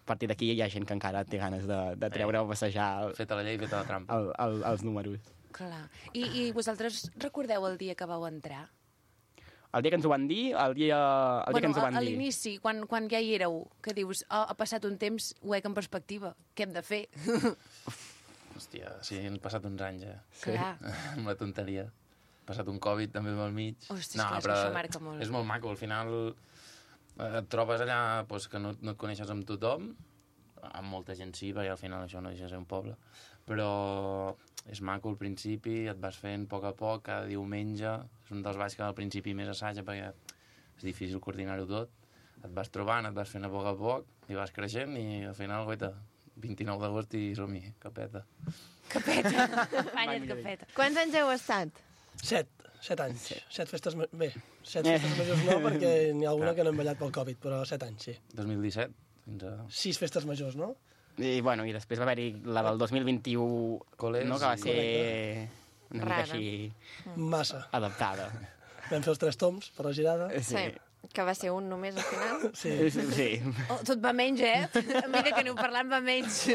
A partir d'aquí hi ha gent que encara té ganes de treure o passejar... Feta la llei, feta la trampa. Els números. Clar. I vosaltres recordeu el dia que vau entrar? El dia que ens ho van dir, el dia que ens ho van dir. A l'inici, quan ja hi éreu, que dius, ha passat un temps, ho veig en perspectiva, què hem de fer? Hòstia, sí, han passat uns anys ja. Clar. Amb la tonteria. Ha passat un Covid també pel mig. Ostres, clar, però això marca molt. És molt maco, al final et trobes allà que no et coneixes amb tothom, amb molta gent sí, perquè al final això no deixa de ser un poble, però és maco al principi, et vas fent a poc, cada diumenge, és un dels balls que al principi més assaja perquè és difícil coordinar-ho tot, et vas trobant, et vas fent a poc, i vas creixent i al final, guaita, 29 d'agost i som-hi, capeta. Capeta, banya't capeta. Quants anys heu estat? 7 anys. 7 festes... Bé, 7 festes majors no, perquè n'hi ha alguna que no hem ballat pel Covid, però 7 anys, sí. 2017 fins a... 6 festes majors, no? I després va haver-hi la del 2021, Coles, no? Que va ser una mica així... Massa. Adaptada. Vam fer els 3 toms per la girada. Sí. Que va ser un només al final? Sí. Oh, tot va menys, A mesura que aneu parlant va menys.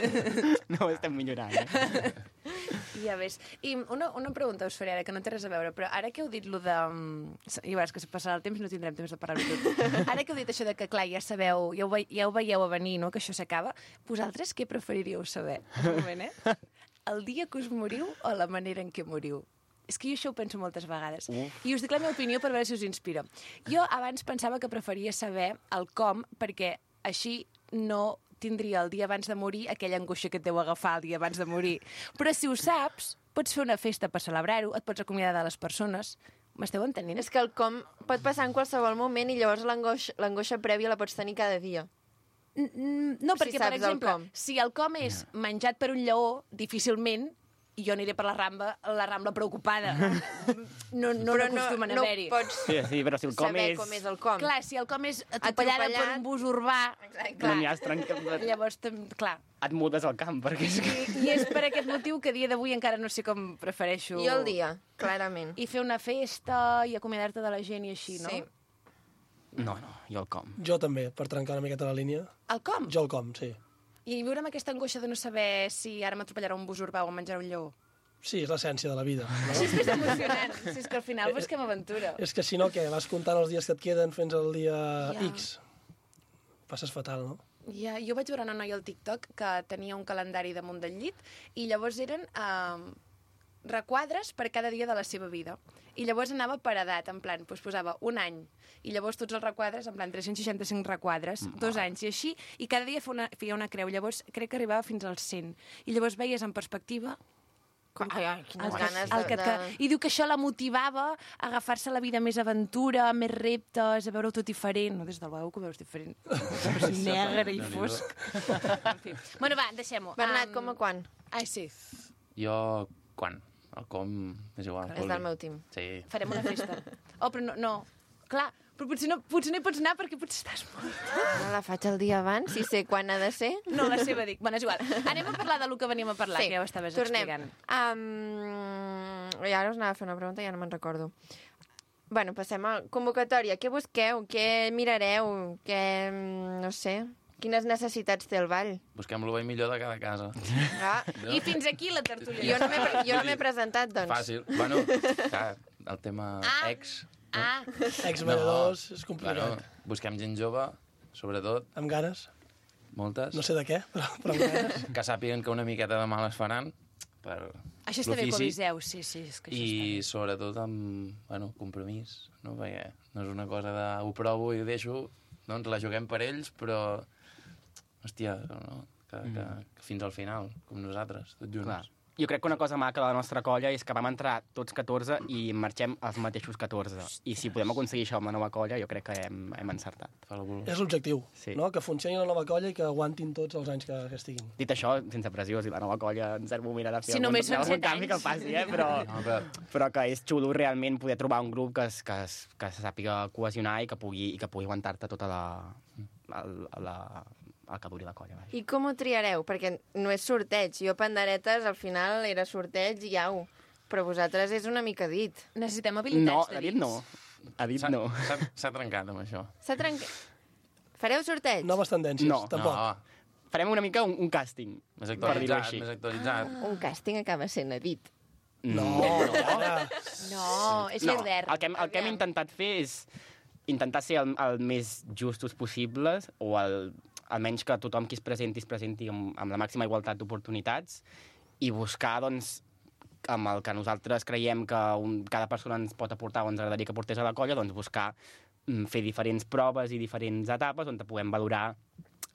No, estem millorant, Ja ves. I una pregunta us faré ara, que no té res a veure, però ara que heu dit lo de... I veuràs que si passarà el temps no tindrem temps de parlar-ho tot. Ara que heu dit això de que, clar, ja sabeu, ja ho veieu a venir, no?, que això s'acaba, vosaltres què preferiríeu saber? Un moment, El dia que us moriu o la manera en què moriu? És que jo això ho penso moltes vegades. I us dic la meva opinió per veure si us inspira. Jo abans pensava que preferia saber el com, perquè així no tindria el dia abans de morir aquella angoixa que et deu agafar el dia abans de morir. Però si ho saps, pots fer una festa per celebrar-ho, et pots acomiadar de les persones. M'esteu entenent? És que el com pot passar en qualsevol moment i llavors l'angoixa prèvia la pots tenir cada dia. No, perquè, per exemple, si el com és menjat per un lleó, difícilment i jo aniré per la Rambla preocupada. No acostumen a haver-hi. No pots però si el com saber com és el com. Clar, si el com és atropellada per un bus urbà... No n'hi has trencat. Llavors, clar. Et mudes al camp, perquè... I és per aquest motiu que a dia d'avui encara no sé com prefereixo... Jo el dia, clarament. I fer una festa i acomiadar-te de la gent i així, no? Sí. No, jo el com. Jo també, per trencar una miqueta la línia. El com? Jo el com, sí. I viure amb aquesta angoixa de no saber si ara m'atropellarà un bus urbà o em menjarà un lleó. Sí, és l'essència de la vida. No? Sí, és que és emocionant. Sí, és que al final busquem aventura. És que si no, què? Vas comptant els dies que et queden fins al dia X. Passes fatal, no? Ja, jo vaig veure una noia al TikTok que tenia un calendari damunt del llit i llavors eren requadres per cada dia de la seva vida. I llavors anava per edat, en plan, doncs posava un any, i llavors tots els requadres, en plan 365 requadres, 2 anys, i així, i cada dia feia una creu. Llavors crec que arribava fins als 100. I llavors veies en perspectiva... Quines ganes I diu que això la motivava a agafar-se la vida més aventura, més reptes, a veure-ho tot diferent. No, des del veu que ho veus diferent. Negre i fosc. En fi. Bueno, va, deixem-ho. Bernat, com a quan? Ai, sí. Jo, quan? El com és igual. És del meu team. Sí. Farem una festa. Oh, però no. Clar, però potser no hi pots anar perquè potser estàs mort. No la faig el dia abans, si sé quan ha de ser. No, la seva dic. Bueno, és igual. Anem a parlar del que venim a parlar, que ja ho estaves explicant. I ara us anava a fer una pregunta i ja no me'n recordo. Bueno, passem a convocatòria. Què busqueu? Què mirareu? No sé... Quines necessitats té el ball? Busquem el millor de cada casa. Ah. I fins aquí la tertúlia. Jo no m'he presentat, doncs. Fàcil. Bueno, clar, el tema ex... Ex-balladors, és complicat. Bueno, busquem gent jove, sobretot. Amb ganes? Moltes. No sé de què, però amb ganes. Que sàpiguen que una miqueta de mal es faran per Això està bé, Coliseu, sí. És que això I sobretot amb compromís, no? Perquè no és una cosa de ho provo i ho deixo, doncs la juguem per ells, però... Hòstia, no? Que fins al final, com nosaltres, tots junts. Clar. Jo crec que una cosa maca de la nostra colla és que vam entrar tots 14 i marxem els mateixos 14. I si podem aconseguir això amb la nova colla, jo crec que hem encertat. És l'objectiu, no? Que funcioni la nova colla i que aguantin tots els anys que estiguin. Dit això, sense pressió, si la nova colla en cert moment ha de fer algun canvi que el faci, però que és xulo realment poder trobar un grup que se sàpiga cohesionar i que pugui aguantar-te tota el que duri la colla. I com ho triareu? Perquè no és sorteig. Jo, panderetes, al final era sorteig i au. Però vosaltres és una mica dit. Necessitem habilitats de dits. A dit no. S'ha trencat amb això. S'ha trencat. Fareu sorteig? Noves tendències, tampoc. No. Farem una mica un càsting. Més actualitzat. Un càsting acaba sent edit. No, és l'Eder. El que hem intentat fer és intentar ser el més justos possibles o almenys que tothom qui es presenti amb la màxima igualtat d'oportunitats i buscar, doncs, amb el que nosaltres creiem que cada persona ens pot aportar o ens agradaria que portés a la colla, doncs buscar fer diferents proves i diferents etapes on puguem valorar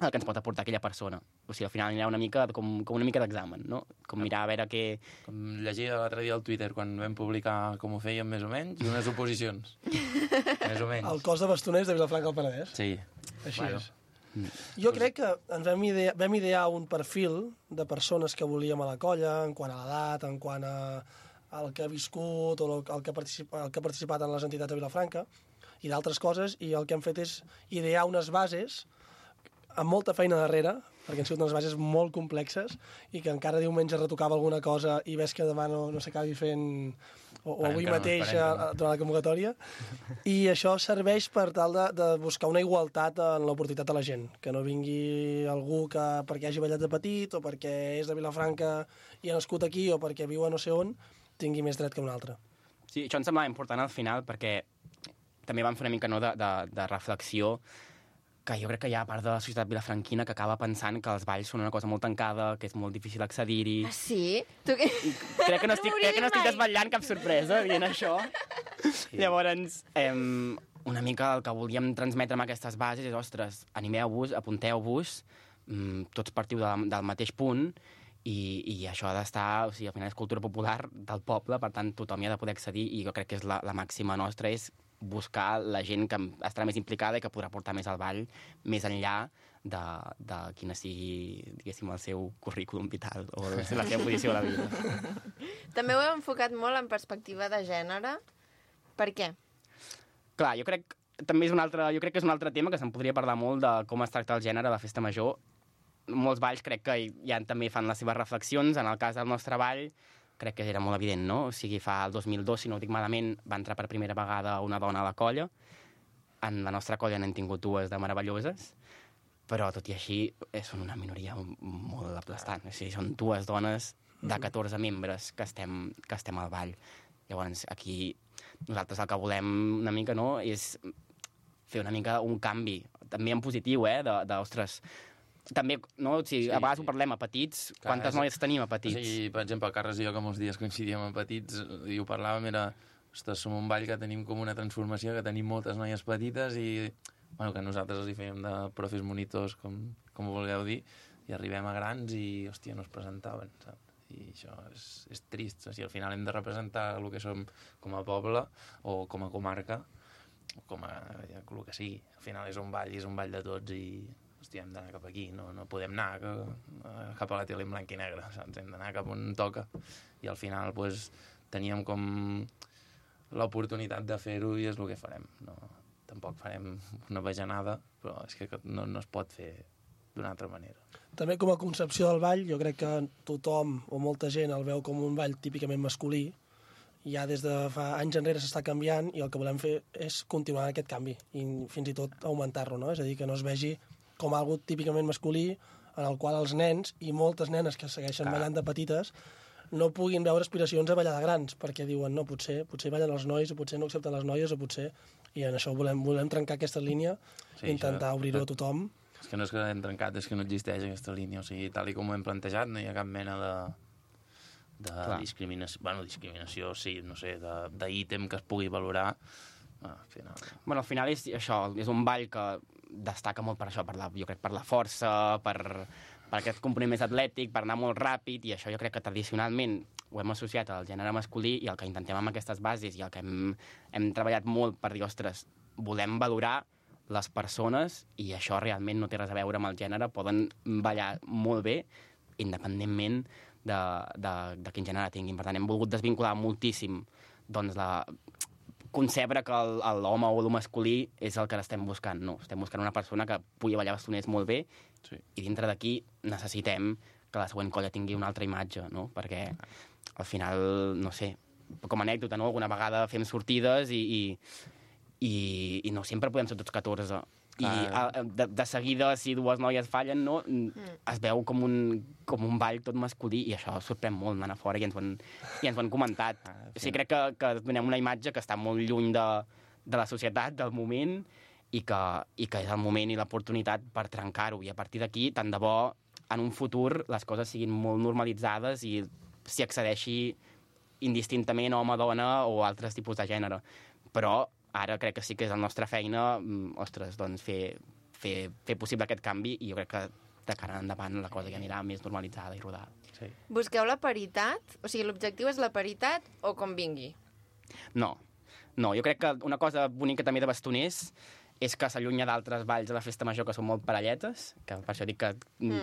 el que ens pot aportar aquella persona. O sigui, al final anirà una mica com una mica d'examen, no? Com mirar a veure què... Com llegia l'altre dia al Twitter quan vam publicar com ho fèiem més o menys i unes oposicions. Més o menys. El cos de bastoners de Vilafranca del Penedès. Sí. Així és. Jo crec que ens vam idear un perfil de persones que volíem a la colla, en quant a l'edat, en quant al que ha viscut o el que ha participat en les entitats de Vilafranca i d'altres coses, i el que hem fet és idear unes bases amb molta feina darrere, perquè han sigut unes bases molt complexes i que encara diumenge retocava alguna cosa i ves que demà no s'acabi fent o avui mateix durant la convocatòria. I això serveix per tal de buscar una igualtat en l'oportunitat de la gent, que no vingui algú que perquè hagi ballat de petit o perquè és de Vilafranca i ha nascut aquí o perquè viu a no sé on, tingui més dret que un altre. Sí, això em semblava important al final perquè també vam fer una mica de reflexió que jo crec que hi ha part de la societat vilafranquina que acaba pensant que els balls són una cosa molt tancada, que és molt difícil accedir-hi. Ah, sí? Crec que no estic desvetllant cap sorpresa dient això. Sí. Llavors, una mica el que volíem transmetre amb aquestes bases és, ostres, animeu-vos, apunteu-vos, tots partiu del mateix punt, i això ha d'estar, o sigui, al final és cultura popular del poble, per tant, tothom hi ha de poder accedir, i jo crec que és la màxima nostra, és buscar la gent que estarà més implicada i que podrà portar més al ball més enllà de quina sigui, diguéssim, el seu currículum vital o la seva posició a la vida. També ho heu enfocat molt en perspectiva de gènere. Per què? Clar, jo crec que és un altre tema que se'n podria parlar molt de com es tracta el gènere a la festa major. Molts balls crec que ja també fan les seves reflexions. En el cas del nostre ball crec que era molt evident, no? O sigui, el 2002, si no ho dic malament, va entrar per primera vegada una dona a la colla. En la nostra colla n'hem tingut dues de meravelloses, però tot i així són una minoria molt aplastant. O sigui, són dues dones de 14 membres que estem al ball. Llavors, aquí nosaltres el que volem una mica, no?, és fer una mica un canvi, també en positiu, ostres, també, no? O sigui, a vegades ho parlem a petits. Quantes noies tenim a petits? O sigui, per exemple, Carles i jo, que molts dies coincidíem a petits, i ho parlàvem, ostres, som un ball que tenim com una transformació, que tenim moltes noies petites i, bueno, que nosaltres els hi fèiem de profes monitors, com ho vulgueu dir, i arribem a grans i, hòstia, no es presentaven, saps? I això és trist. O sigui, al final hem de representar el que som com a poble o com a comarca, o com a el que sigui. Al final és un ball de tots i... Hòstia, hem d'anar cap aquí, no podem anar cap a la tele en blanc i negre, saps? Hem d'anar cap on toca. I al final pues, teníem com l'oportunitat de fer-ho i és el que farem. No, tampoc farem una bajanada, però és que no es pot fer d'una altra manera. També com a concepció del ball, jo crec que tothom o molta gent el veu com un ball típicament masculí ja des de fa anys enrere s'està canviant i el que volem fer és continuar aquest canvi i fins i tot augmentar-lo, no? És a dir, que no es vegi com algo típicament masculí en el qual els nens i moltes nenes que segueixen ballant de petites no puguin veure aspiracions a ballar de grans, perquè diuen, no, potser ballen els nois, o potser no accepten les noies, o potser... I en això volem trencar aquesta línia, intentar obrir-ho a tothom. És que no és que l'hem trencat, és que no existeix aquesta línia. O sigui, tal com ho hem plantejat, no hi ha cap mena de discriminació. Bueno, discriminació, sí, no sé, d'ítem que es pugui valorar. Al final... Bueno, al final és això, és un ball que destaca molt per això, jo crec per la força, per aquest component més atlètic, per anar molt ràpid, i això jo crec que tradicionalment ho hem associat al gènere masculí, i el que intentem amb aquestes bases i el que hem treballat molt per dir, ostres, volem valorar les persones, i això realment no té res a veure amb el gènere, poden ballar molt bé, independentment de quin gènere tinguin. Per tant, hem volgut desvincular moltíssim doncs, concebre que l'home o el masculí és el que estem buscant. No, estem buscant una persona que pugui ballar bastoners molt bé, i dintre d'aquí necessitem que la següent colla tingui una altra imatge, no? Perquè al final, no sé, com a anècdota, no? Alguna vegada fem sortides i no sempre podem ser tots 14. I de seguida, si dues noies fallen, no, es veu com un ball tot masculí, i això sorprèn molt anant a fora, i ens ho han comentat. O sigui, crec que donem una imatge que està molt lluny de la societat, del moment, i que és el moment i l'oportunitat per trencar-ho. I a partir d'aquí, tant de bo, en un futur, les coses siguin molt normalitzades i s'hi accedeixi indistintament home-dona o altres tipus de gènere. Però ara crec que sí que és la nostra feina, ostres, doncs fer possible aquest canvi, i jo crec que de cara endavant la cosa ja anirà més normalitzada i rodada. Sí. Busqueu la paritat? O sigui, l'objectiu és la paritat o com vingui? No, jo crec que una cosa bonica també de bastoners és que s'allunya d'altres balls a la festa major que són molt parelletes, que per això dic que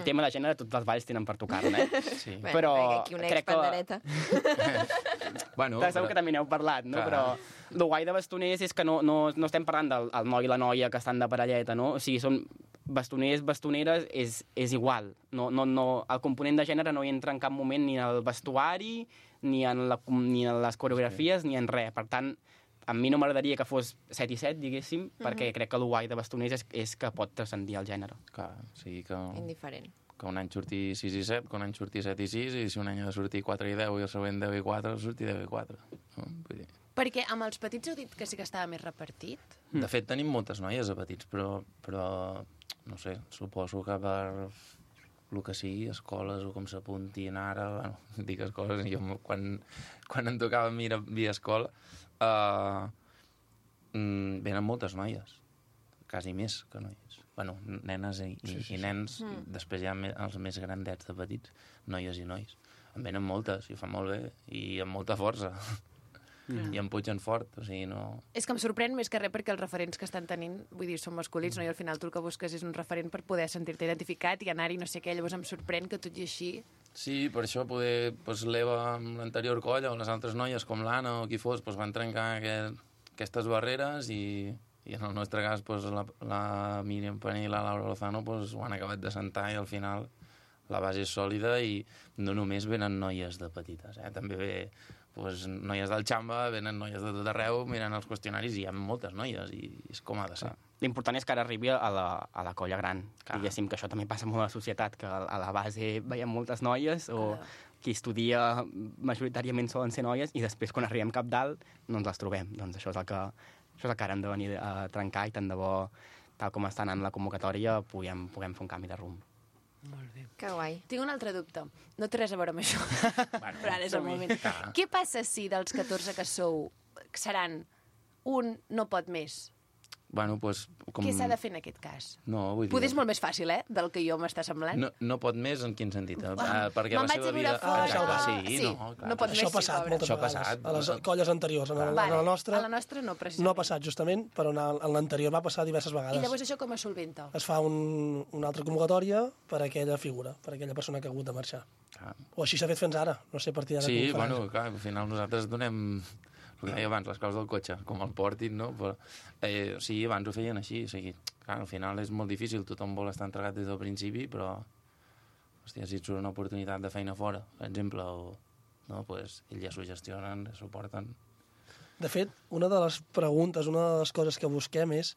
tema de gènere tots els balls tenen per tocar-ne, Sí. Però aquí una crec expandereta. Bueno, segur que també n'heu parlat, no? Però el guai de bastoners és que no estem parlant del noi i la noia que estan de parelleta, no? O sigui, són bastoners, bastoneres, és igual. El component de gènere no hi entra en cap moment ni en el vestuari, ni en les coreografies, ni en res. Per tant, a mi no m'agradaria que fos 7 i 7, diguéssim, perquè crec que el guai de bastoners és que pot transcendir el gènere. Clar, o sigui que... Indiferent. Que un any surti 6 i 7, que un any surti 7 i 6, i si un any ha de sortir 4 i 10 i el següent 10 i 4, surti 10 i 4. No? Vull dir... Perquè amb els petits heu dit que sí que estava més repartit? De fet, tenim moltes noies a petits, però no sé, suposo que per el que sigui, escoles o com s'apuntin ara, bueno, dic escoles, jo quan em tocava a mi via escola, venen moltes noies, quasi més que noies. Bueno, nenes i nens, després hi ha els més grandets de petits, noies i nois. En venen moltes, i ho fan molt bé, i amb molta força. I em pugen fort, o sigui, no... És que em sorprèn més que res perquè els referents que estan tenint, vull dir, són masculins, no? I al final tu el que busques és un referent per poder sentir-te identificat i anar-hi no sé què, llavors em sorprèn que tot i així... Sí, per això poder, doncs, l'Eva amb l'anterior colla o les altres noies com l'Anna o qui fos, doncs, van trencar aquestes barreres i en el nostre cas doncs, la Míriam Paní i la Laura Lozano doncs, ho han acabat de sentar i al final la base és sòlida i no només venen noies de petites, també ve doncs, noies del Xamba, venen noies de tot arreu, miren els qüestionaris i hi ha moltes noies i és com ha de ser. L'important és que ara arribi a la colla gran. Diguéssim que això també passa molt a la societat, que a la base veiem moltes noies o qui estudia majoritàriament solen ser noies i després quan arribem cap dalt no ens les trobem. Doncs això és el que ara hem de venir a trencar i tant de bo, tal com està anant la convocatòria, puguem fer un canvi de rumb. Molt bé. Que guai. Tinc un altre dubte. No té res a veure amb això. Bueno, però ara és el moment. Què passa si dels 14 que sou seran un no pot més? Bueno, doncs... Què s'ha de fer en aquest cas? No, vull dir... Poder és molt més fàcil, del que jo m'està semblant. No pot més en quin sentit? Perquè me'n vaig a viure fora. Sí, no, clar. No pot més, això ha passat moltes vegades. A les colles anteriors. A la nostra no, precisament. No ha passat, justament, però en l'anterior va passar diverses vegades. I llavors això com es solventa? Es fa una altra convocatòria per a aquella figura, per a aquella persona que ha hagut de marxar. O així s'ha fet fins ara. No sé a partir d'ara com ho farà. Sí, bueno, clar, al final nosaltres donem... El que deia abans, les coses del cotxe, com el portin, no? Però, sí, abans ho feien així, o sigui, clar, al final és molt difícil, tothom vol estar entregat des del principi, però, hòstia, si et surt una oportunitat de feina fora, per exemple, o no? Pues ells ja s'ho gestionen, s'ho porten. De fet, una de les preguntes, una de les coses que busquem és,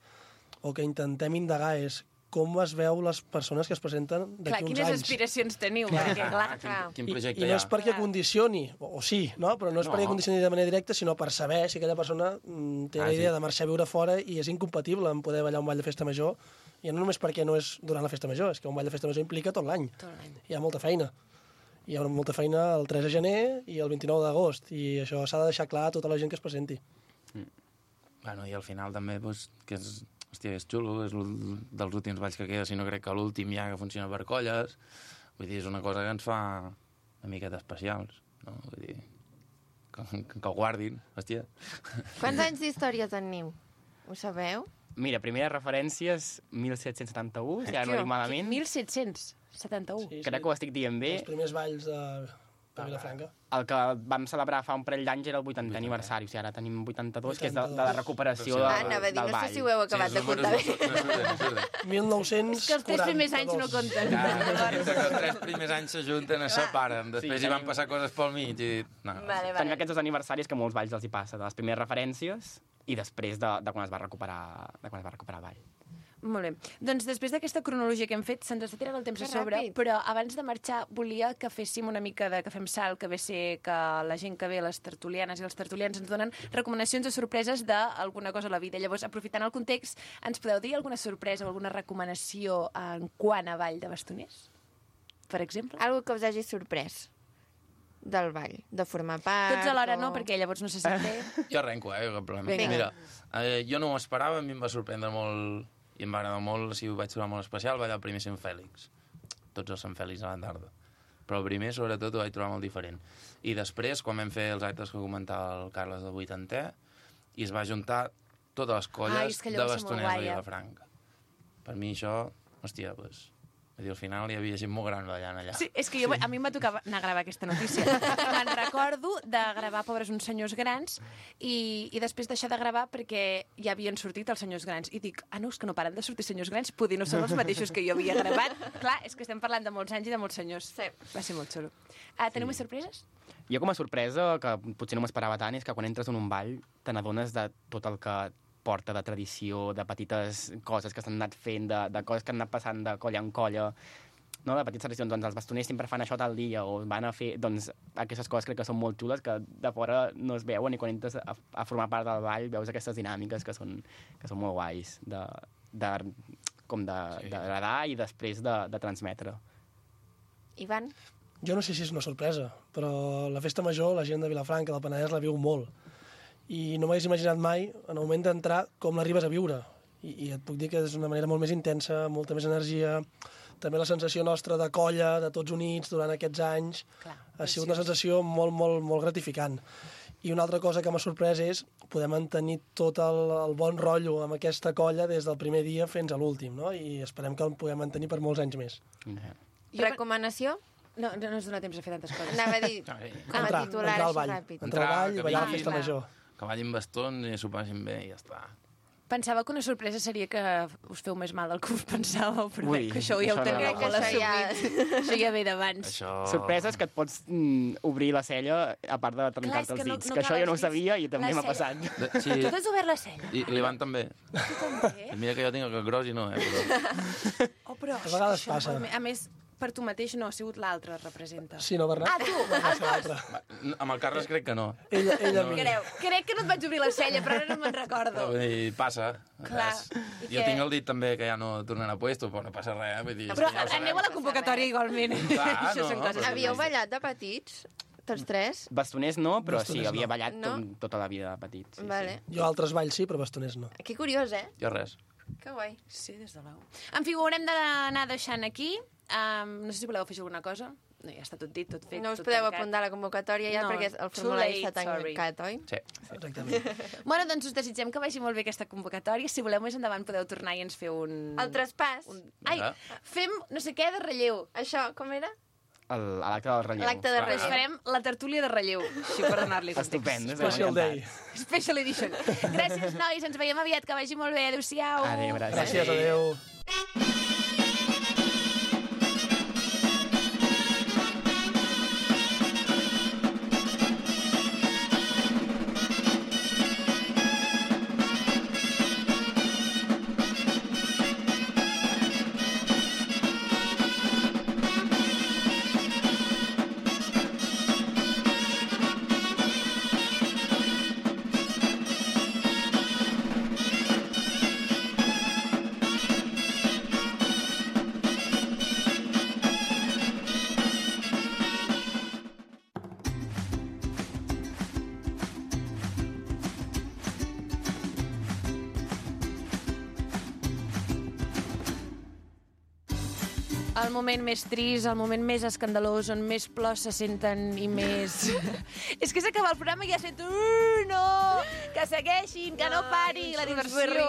o que intentem indagar és, com es veu les persones que es presenten d'aquí uns anys. Quines aspiracions teniu? Perquè, clar, Quin projecte I no és perquè condicioni, o sí, no? Però no és perquè condicioni de manera directa, sinó per saber si aquella persona té la idea de marxar a viure fora i és incompatible amb poder ballar un ball de festa major, i no només perquè no és durant la festa major, és que un ball de festa major implica tot l'any. Hi ha molta feina. Hi ha molta feina el 3 de gener i el 29 d'agost, i això s'ha de deixar clar a tota la gent que es presenti. Bueno, i al final també, pues, que és... Hòstia, és xulo, és dels últims balls que queda, si no crec que l'últim ja que funciona per colles. Vull dir, és una cosa que ens fa una miqueta especials, no? Vull dir, que ho guardin, hòstia. Quants anys d'història teniu? Ho sabeu? Mira, primeres referències, 1771, si ara no dic malament. 1771. Sí, crec que ho estic dient bé. Els primers balls de Vilafranca. El que vam celebrar fa un parell d'anys era el 80è aniversari, o sigui, ara tenim 82, que és de la recuperació del ball. Anava a dir, no sé si ho heu acabat de comptar bé. 1942. És que els 3 primers anys no compten. Els 3 primers anys s'ajunten, es separen, després hi van passar coses pel mig i... Tenim aquests 2 aniversaris que molts balls els hi passa, de les primeres referències i després de quan es va recuperar el ball. Molt bé. Doncs després d'aquesta cronologia que hem fet, se'ns està tirant el temps a sobre, però abans de marxar volia que féssim una mica de que fem salt, que ve ser que la gent que ve, les tertulianes i els tertulians, ens donen recomanacions o sorpreses d'alguna cosa a la vida. Llavors, aprofitant el context, ens podeu dir alguna sorpresa o alguna recomanació en quant a ball de bastoners? Per exemple? Algo que us hagi sorprès del ball, de formar part... Tots alhora no, perquè llavors no se sap bé. Jo arrenco, cap problema. Vinga. Mira, jo no ho esperava, a mi em va sorprendre molt i em va agradar molt, si ho vaig trobar molt especial, ballar el primer Sant Fèlix. Tots els Sant Fèlix a la tarda. Però el primer, sobretot, ho vaig trobar molt diferent. I després, quan vam fer els actes que comentava el Carles del 80è, i es va juntar totes les colles de bastoners de Vilafranca. Per mi això, hòstia, doncs... Vull dir, al final hi havia gent molt gran ballant allà. Sí, és que a mi em va tocar anar a gravar aquesta notícia. Me'n recordo de gravar Pobres uns senyors grans i després deixar de gravar perquè ja havien sortit els senyors grans. I dic, no, és que no paren de sortir senyors grans, poder no són els mateixos que jo havia gravat. Clar, és que estem parlant de molts anys i de molts senyors. Sí. Va ser molt xulo. Teniu més sorpreses? Jo com a sorpresa, que potser no m'esperava tant, és que quan entres en un ball te n'adones de tot el que porta de tradició, de petites coses que s'han anat fent, de coses que han anat passant de colla en colla, no? De petites tradicions. Doncs els bastoners sempre fan això tal dia, o van a fer... Doncs aquestes coses crec que són molt xules, que de fora no es veuen, i quan entres a formar part del ball veus aquestes dinàmiques que són molt guais, d'agradar i després de transmetre. Ivan? Jo no sé si és una sorpresa, però la festa major, la gent de Vilafranca, del Penedès, la viu molt. I no m'hagués imaginat mai, en el moment d'entrar, com l'arribes a viure. I et puc dir que és una manera molt més intensa, molta més energia, també la sensació nostra de colla, de tots units durant aquests anys. Clar, ha sigut una sensació molt, molt, molt gratificant. I una altra cosa que m'ha sorprès és poder mantenir tot el bon rotllo amb aquesta colla des del primer dia fins a l'últim, no? I esperem que el puguem mantenir per molts anys més. Recomanació? No es dona temps a fer tantes coses. Anava a dir, com a titular, així ràpid. Entrar al ball i ballar la festa major. Que ballin bastons i s'ho passin bé i ja està. Pensava que una sorpresa seria que us feu més mal del que us pensàveu, però que això ja ho teniu molt assumit. Això ja ve d'abans. Sorpreses que et pots obrir la cella, a part de trencar-te els dits. Que això jo no ho sabia i també m'ha passat. Tu t'has obert la cella? I l'Ivan també. Tu també? Mira que jo tinc el gros i no, però a vegades passa. A més, per tu mateix no, ha sigut l'altre representa. Sí, no, Bernat? Tu! Els dos! Amb el Carles crec que no. Ella crec que no et vaig obrir la cella, però ara no me'n recordo. I passa. Clar. Jo tinc el dit també que ja no tornarà puesto, però no passa res. Vull dir, però aneu a la convocatòria igualment. Havíeu ballat de petits? Tots tres? Bastoners no, però sí, havia ballat tota la vida de petits. Vale. Jo altres balls sí, però bastoners no. Que curiós, Jo res. Que guai. Sí, des de l'au. En fi, ho haurem d'anar deixant aquí. No sé si voleu afegir alguna cosa. No, ja està tot dit, tot fet. No us podeu apuntar a la convocatòria ja perquè el formulari està tancat, oi? Sí. Exactament. Bueno, doncs us desitgem que vagi molt bé aquesta convocatòria. Si voleu més endavant podeu tornar i ens fer un... El traspàs. Ai, fem no sé què de relleu. Això, com era? L'acte del relleu. L'acte de relleu. Farem la tertúlia de relleu, així per donar-li context. Estupend. Special day. Special edition. Gràcies, nois, ens veiem aviat, que vagi molt bé. Adéu-siau. Adéu, gràcies. Gràcies, adéu. El moment més trist, el moment més escandalós, on més plors se senten i més... És que s'acaba el programa i ja sento... No! Que segueixin, que no pari la diversió!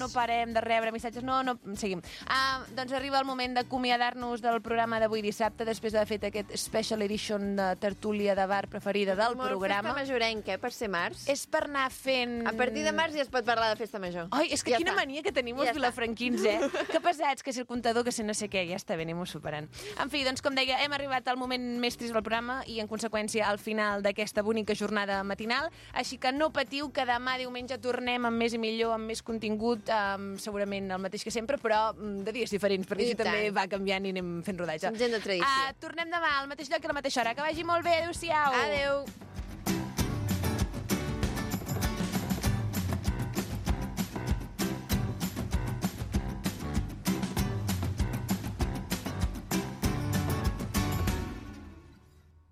No parem de rebre missatges. No, seguim. Doncs arriba el moment d'acomiadar-nos del programa d'avui dissabte, després d'haver fet aquest special edition de tertúlia de bar preferida del programa. Molt festa majorenca, per ser març. És per anar fent... A partir de març ja es pot parlar de festa major. Ai, és que quina mania que tenim els vilafranquins, Que pesats, que si el comptador, que si no sé què, ja està bé, anem-ho superant. En fi, doncs, com deia, hem arribat al moment més trist del programa i, en conseqüència, al final d'aquesta bonica jornada matinal. Així que no patiu, que demà diumenge tornem amb més i millor, amb més contingut, segurament el mateix que sempre, però de dies diferents, perquè així també va canviant i anem fent rodatge. Som gent de tradició. Tornem demà al mateix lloc i a la mateixa hora. Que vagi molt bé. Adéu-siau. Adéu.